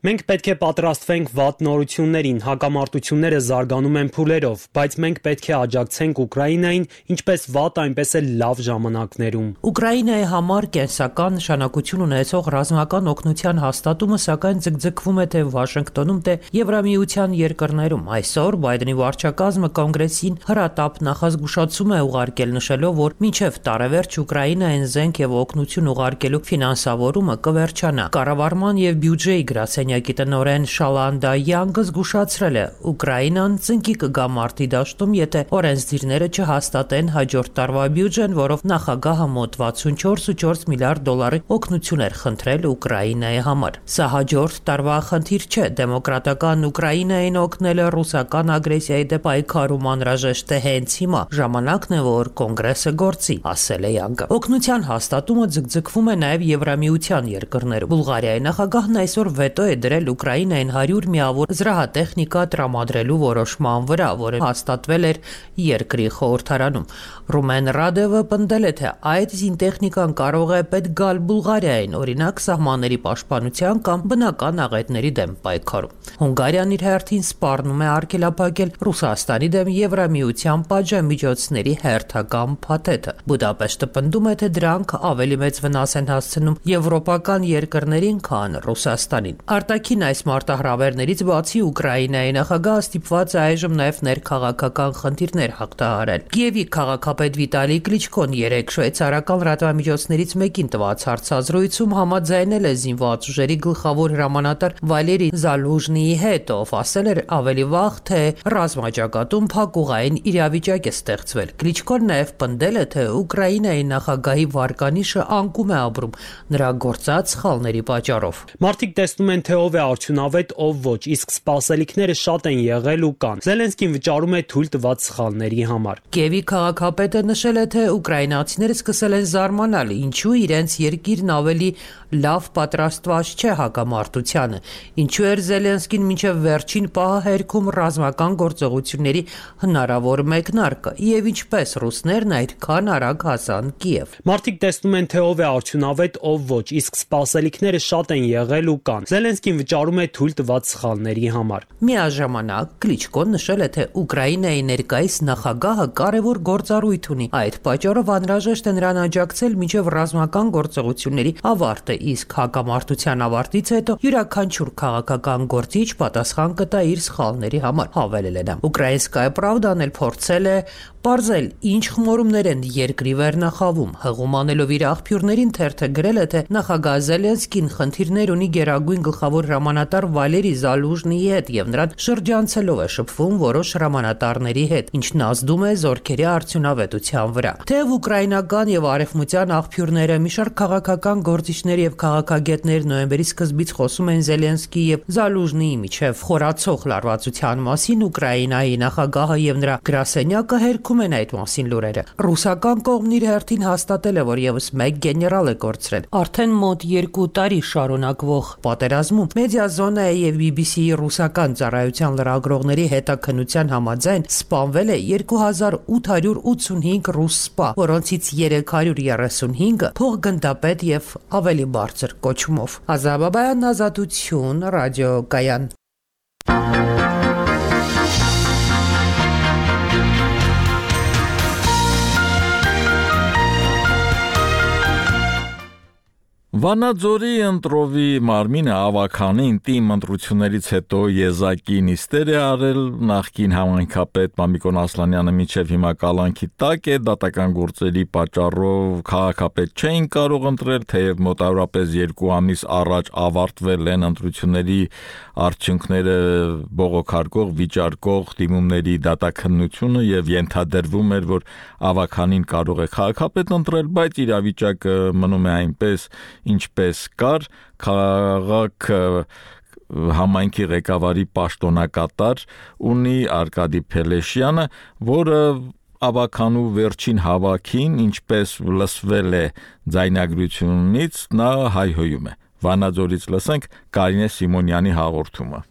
Մենք պետք է պատրաստվենք վատ նորություններին, հակամարտությունները զարգանում են փուլերով, բայց մենք պետք է աջակցենք Ուկրաինային ինչպես վատ, այնպես էլ լավ ժամանակներում։ Ուկրաինայի համար կենսական նշանակություն ունեցող ռազմական օգնության հաստատումը սակայն ձգձգվում է թե Վաշինգտոնում, թե Եվրամիության երկրներում։ Այսօր Բայդենի վարչակազմը կոնգրեսին հրատապ նախազգուշացում է ուղարկել, նշելով, որ մինչև տարեվերջ Ուկրաինային զենք եւ օգնություն ուղարկելու ֆինանսավորումը կվերջանա։ Կառավարման եւ բյուջեի գրասենյակի տնօրեն Շալանդա Յանգը զգուշացրել է, Ուկրաինան ծնկի կգա մարտի դաշտում, եթե օրենսդիրները չհաստատեն հաջորդ տարվա բյուջեն, որով նախագահը մոտ 64.4 միլիարդ դոլարի օգնություն էր խնդրել Ուկրաինայի համար։ Սա հաջորդ տարվա խնդիր չէ, դեմոկրատական Ուկրաինային օգնելը ռուսական ագրեսիայի դեմ պայքարում անհրաժեշտ է հենց հիմա, ժամանակն է, որ կոնգրեսը գործի, ասել է Յանգը։ Օգնության հաստատումը ձգձգվում է նաև Եվրամիության երկրներում։ Բուլղարիայի նախագահն այսօր վետո է դրել Ուկրաինային 100 միավոր զրահատեխնիկա տրամադրելու որոշման վրա, որը հաստատվել էր երկրի խորհրդարանում։ Ռումեն Ռադևը պնդել է, թե այդ զինտեխնիկան կարող է պետք գալ Բուլղարիային, օրինակ սահմանների պաշտպանության կամ բնական աղետների դեմ պայքարում։ Հունգարիան իր հերթին սպառնում է արգելափակել Ռուսաստանի դեմ Եվրամիության պատժամիջոցների հերթական փաթեթը։ Բուդապեշտը պնդում է, թե դրանք ավելի մեծ վնաս են հասցնում եվրոպական երկրներին, քան Ռուսաստանին։ Արտաքին այս մարտահրավերներից բացի Ուկրաինայի նախագահը ստիպված է այժմ նաև ներքաղաքական խնդիրներ հաղթահարել։ Կիևի քաղաքապետ Վիտալի Կլիչկոն երեկ շվեյցարական լրատվամիջոցներից մեկին տված հարցազրույցում համաձայնել է զինված ուժերի գլխավոր հրամանատար Վալերի Զալուժնիի հետ, ով ասել էր ավելի վաղ, թե ռազմաճակատում փակուղային իրավիճակ է ստեղծվել։ Կլիչկոն նաև պնդել է, թե Ուկրաինայի նախագահի վարկանիշը անկում է ապրում նրա գործած սխալների պատճառով։ Մարդիկ տեսնում են, թե ով է արդյունավետ, ով ոչ, իսկ սպասելիքները շատ են եղել ու կան։ Զելենսկին վճարում է թույլ տված սխալների համար։ Կիևի քաղաքապետը նշել է, թե ուկրաինացիները սկսել են զարմանալ, ինչու իրենց երկիրն ավելի լավ պատրաստված չէ հակամարտությանը, ինչու էր Զելենսկին մինչև վերջին պահը հերքում ռազմական գործողությունների հնարավոր մեկնարկը եւ ինչպես ռուսներն այդքան արագ հասան Կիև։ Մարդիկ տեսնում են, թե ով է արդյունավետ, ով ոչ, իսկ սպասելիքները շատ են եղել ու կան։ Զելենսկին վճարում է թույլ տված սխալների համար։ Միաժամանակ Կլիչկոն նշել է, թե Ուկրաինայի ներկայիս նախագահը կարևոր գործառույթ ունի։ Այդ պատճառով անհրաժեշտ է նրան աջակցել մինչև ռազմական գործողությունների ավարտը, իսկ հակամարտության ավարտից հետո յուրաքանչյուր քաղաքական գործիչ պատասխան կտա իր սխալների համար, հավելել է նա։ Ուկրաինսկայա Պրավդան էլ փորձել է պարզել, ինչ խմորումներ են երկրի վերնախավում։ Հղում անելով իր աղբյուրներին թերթը գրել է, թե նախագահ Զելենսկին խնդիրներ ունի Գերագույն գլխավոր հրամանատար Վալերի Զալուժնիի հետ եւ նրան շրջանցելով է շփվում որոշ հրամանատարների հետ, ինչն ազդում է զորքերի արդյունավետության վրա։ Թեև ուկրաինական եւ արևմտյան աղբյուրները մի շարք քաղաքական գործիչներ եւ քաղաքագետներ նոյեմբերի սկզբից խոսում են Զելենսկիի եւ Զալուժնիի միջև խորացող լարվածության մասին, Ուկրաինայի նախագահը եւ նրա գրասենյակը հերքում են այդ մասին լուրերը։ Ռուսական կողմն իր հերթին հաստատել է, որ եւս մեկ գեներալ է կորցրել։ Արդեն մոտ 2 տարի շարունակվող պատերազմում Մեդիազոնայի եւ BBC-ի ռուսական ծառայության լրագրողների հետաքննության համաձայն սպանվել է 2885 ռուս սպա, որոնցից 335-ը փոխգնդապետ եւ ավելի բարձր կոչումով։ Ազաբաբայան Ազատություն, ռադիոկայան։ Վանաձորի ընտրովի մարմինը ավականին տիմ ընտրություններից հետո եզակի նիստեր է արել նախկին համայնքապետ Մամիկոն Ասլանյանը մինչև հիմա կալանքի տակ է դատական գործերի պատճառով քաղաքապետ չէին կարող ընտրել, թեև մոտավորապես 2 ամիս առաջ ավարտվել են ընտրությունների արդյունքները բողոքարկող վիճարկող դիմումների դատաքննությունը եւ ենթադրվում էր, որ ավականին կարող է քաղաքապետ ընտրել, բայց իրավիճակը մնում է այնպես ինչպես կար քաղաք համայնքի ղեկավարի պաշտոնակատար ունի Արկադի Փելեշյանը, որը ավականու վերջին հավաքին ինչպես լսվել է ձայնագրությունից նա հայհոյում է։ Վանաձորից լսենք Կարինե Սիմոնյանի հաղորդումը։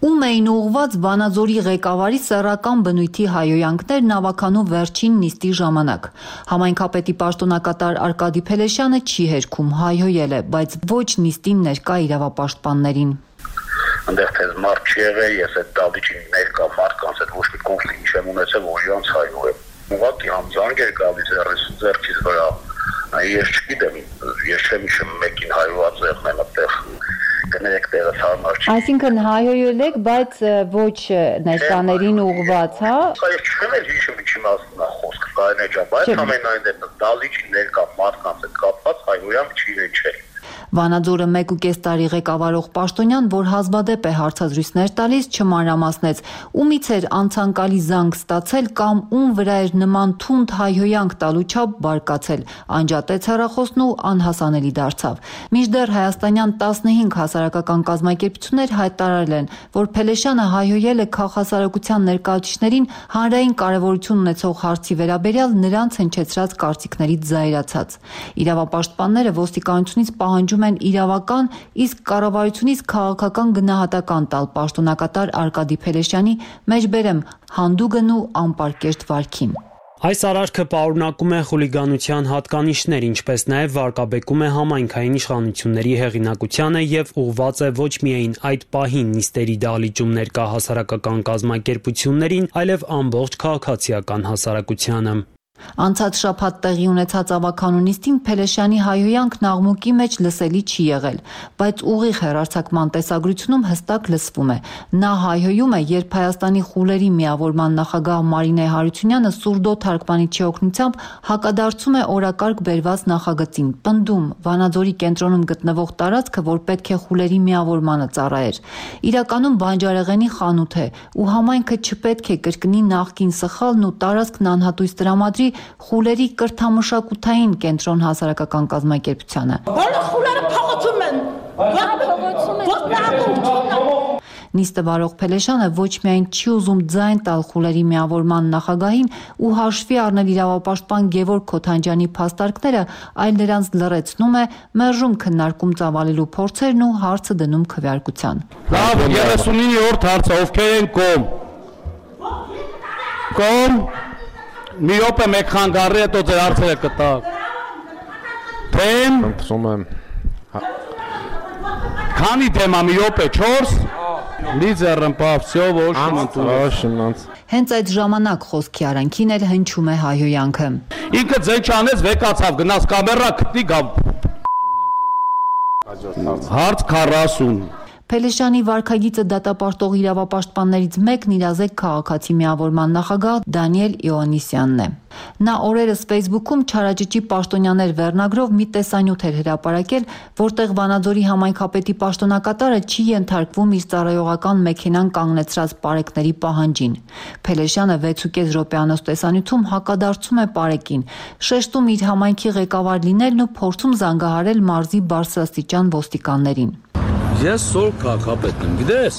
Ում էին ուղղված Վանաձորի ղեկավարի սեռական բնույթի հայհոյանքներն ավականու վերջին նիստի ժամանակ։ Համայնքապետի պաշտոնակատար Արկադի Փելեշյանը չի հերքում, հայհոյել է, բայց ոչ նիստին ներկա իրավապաշտպաններին։ Այնտեղ թե մարդ չի եղել, ես այդ դավիճին ներկա մարդկանց հետ ոչ մի կոնֆլիկտ չեմ ունեցել, որ իրանց հայհոյեմ։ Ուղղակի համձանք էր գալիս ձեռքից վրա։ Ես չգիտեմ, ես չեմ հիշում մեկին հայհոյած եղնեմ այդտեղ։ Կներեք տեղս հարմար չի։ Այսինքն հայհոյել եք, բայց ոչ ներկաներին ուղղված, հա։ Ես չեմ էլ հիշում ինչի մասն է խոսքը, Կարինե ջան, բայց ամենայն դեպս դալիճի ներկա մարդկանց հետ կապված հայհոյամ չի հնչել։ Վանաձորը 1.5 տարի ղեկավարող պաշտոնյան, որ հազվադեպ է հարցազրույցներ տալիս, չմանրամասնեց, ումից էր անցանկալի զանգ ստացել կամ ում վրա էր նման թունդ հայհոյանք տալու չափ բարկացել, անջատեց հեռախոսն ու անհասանելի դարձավ։ Մինչդեռ հայաստանյան 15 հասարակական կազմակերպություններ հայտարարել են, որ Փելեշյանը հայհոյել է քաղաքասարակության ներկայացուցիչներին հանրային կարևորություն ունեցող հարցի վերաբերյալ նրանց հնչեցրած կարծիքներից զայրացած։ Իրավապաշտպանները ոստիկանությունից պահանջում են իրավական, իսկ կառավարությունից քաղաքական գնահատական տալ պաշտոնակատար Արկադի Փելեշյանի մեջբերեմ հանդուգն ու անպարկեշտ վարքին։ Այս արարքը պարունակում է խուլիգանության հատկանիշներ, ինչպես նաև վարկաբեկում է համայնքային իշխանությունների հեղինակությանը եւ ուղղված է ոչ միայն այդ պահին նիստերի դահլիճում ներկա հասարակական կազմակերպություններին, այլև ամբողջ քաղաքացիական հասարակությանը։ Անցած շաբաթ տեղի ունեցած ավականու նիստին Փելեշյանի հայհոյանքն աղմուկի մեջ լսելի չի եղել, բայց ուղիղ հեռարձակման տեսագրությունում հստակ լսվում է։ Նա հայհոյում է, երբ Հայաստանի խուլերի միավորման նախագահ Մարինե Հարությունյանը սուրդո թարգմանիչի օգնությամբ հակադարձում է օրակարգ բերված նախագծին, պնդում Վանաձորի կենտրոնում գտնվող տարածքը, որ պետք է խուլերի միավորմանը ծառայեր, իրականում բանջարեղենի խանութ է ու համայնքը չպետք է կրկնի նախկին սխալն ու տարածքն անհատույց տրամադրի խուլերի կրթամշակութային կենտրոն հասարակական կազմակերպությանը։ Բոլոր խուլերը փողոցում են։ Նիստը վարող Փելեշյանը ոչ միայն չի ուզում ձայն տալ խուլերի միավորման նախագահին ու հաշվի առնել իրավապաշտպան Գևորգ Քոթանջյանի փաստարկները, այլ նրանց լռեցնում է, մերժում քննարկում ծավալելու փորձերն ու հարցը դնում քվեարկության։ Լավ, 39-րդ հարցը ովքեր են կողմ։ Կողմ մի րոպե մեկ խանգարի հետո ձեր հարցերը կտակ։ Թեմ։ Խնդրում եմ։ Քանի դեմա մի րոպե 4 Լիզերնպավ, всё, Հենց այդ ժամանակ խոսքի արանքին էլ հնչում է հայհոյանքը։ Ինքը ձեն չանեց, վեկացավ, գնաց կամերա գտնի գամ։ Հարց 40 Փելեշյանի վարքագիծը դատապարտող իրավապաշտպաններից մեկն իրազեկ քաղաքացի միավորման նախագահ Դանիել Իոաննիսյանն է։ Նա օրերս Facebook-ում չարաճճի պաշտոնյաներ վերնագրով մի տեսանյութ էր հրապարակել, որտեղ Վանաձորի համայնքապետի պաշտոնակատարը չի ենթարկվում իր ծառայողական մեքենան կանգնեցրած պարեկների պահանջին։ Փելեշյանը 6.5 րոպեանոց տեսանյութում հակադարձում է պարեկին, շեշտում իր համայնքի ղեկավար լինելն ու փորձում զանգահարել մարզի բարձրաստիճան ոստիկաններին։ Ես սոր քաղաքապետն եմ, գիտես։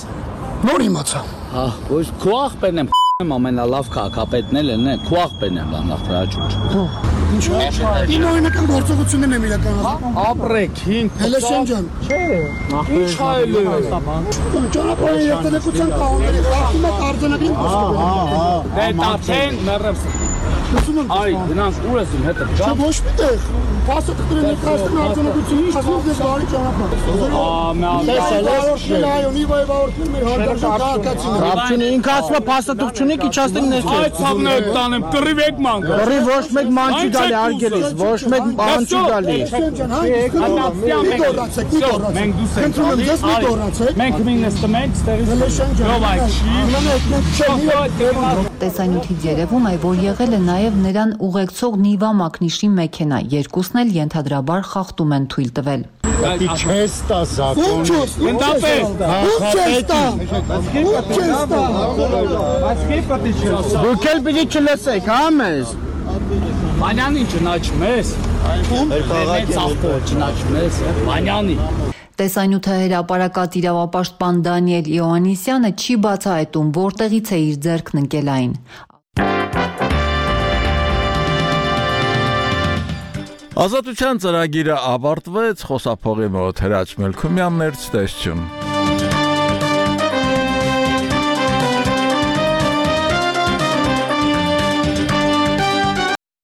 Նոր իմացա։ Հա, ոչ քո աղբերն եմ, ամենալավ քաղաքապետն էլ են, քո աղբերն եմ լանդախտրաճուճ։ Ինչ է։ Ին օրինական գործողություններն եմ իրականացնում։ Ապրեք, հին։ Փելեշյան ջան։ Չէ։ Ինչ հայել է։ Ճանապարհի երթևեկության կանոնների խախտում է արձանագրին խոսքը։ Դե տացեն մեռებს։ Այ, գնանք ուր ես իմ հետը։ Չէ, ոչ միտեղ։ Փաստաթղթերը ներկայացնում արձանագրությունից, ասում ես բարի ճանապարհ։ Ռապչունի ինքը ասում է փաստաթղթ չունի, իջացնենք ներքև։ Այդ ցավն է տանեմ, կռիվ եք ման գա։ Կռիվ ոչ մեկ ման չի գալի արգելից, ոչ մեկ բան չի գալի։ Մենք դուս ենք։ Մենք մինստը մենք ստերից։ Տեսանյութից երևում է, որ եղել է նաև նրան ուղեկցող Նիվա մակնիշի մեքենա, երկուսն էլ ենթադրաբար խախտում են թույլ տվել։ Չես տա զակոն։ Դուք էլ պիտի չլսեք, հա մեզ։ Մանյանին չնաչում ես։ Չնաչում ես, Մանյանի։ Տեսանյութը հրապարակած իրավապաշտպան Դանիել Իոաննիսյանը չի բացահայտում, որտեղից է իր ձեռքն ընկել այն։ Ազատության ծրագիրը ավարտվեց, խոսափողի մոտ Հրաչ Մելքումյանն էր, ցտեսություն։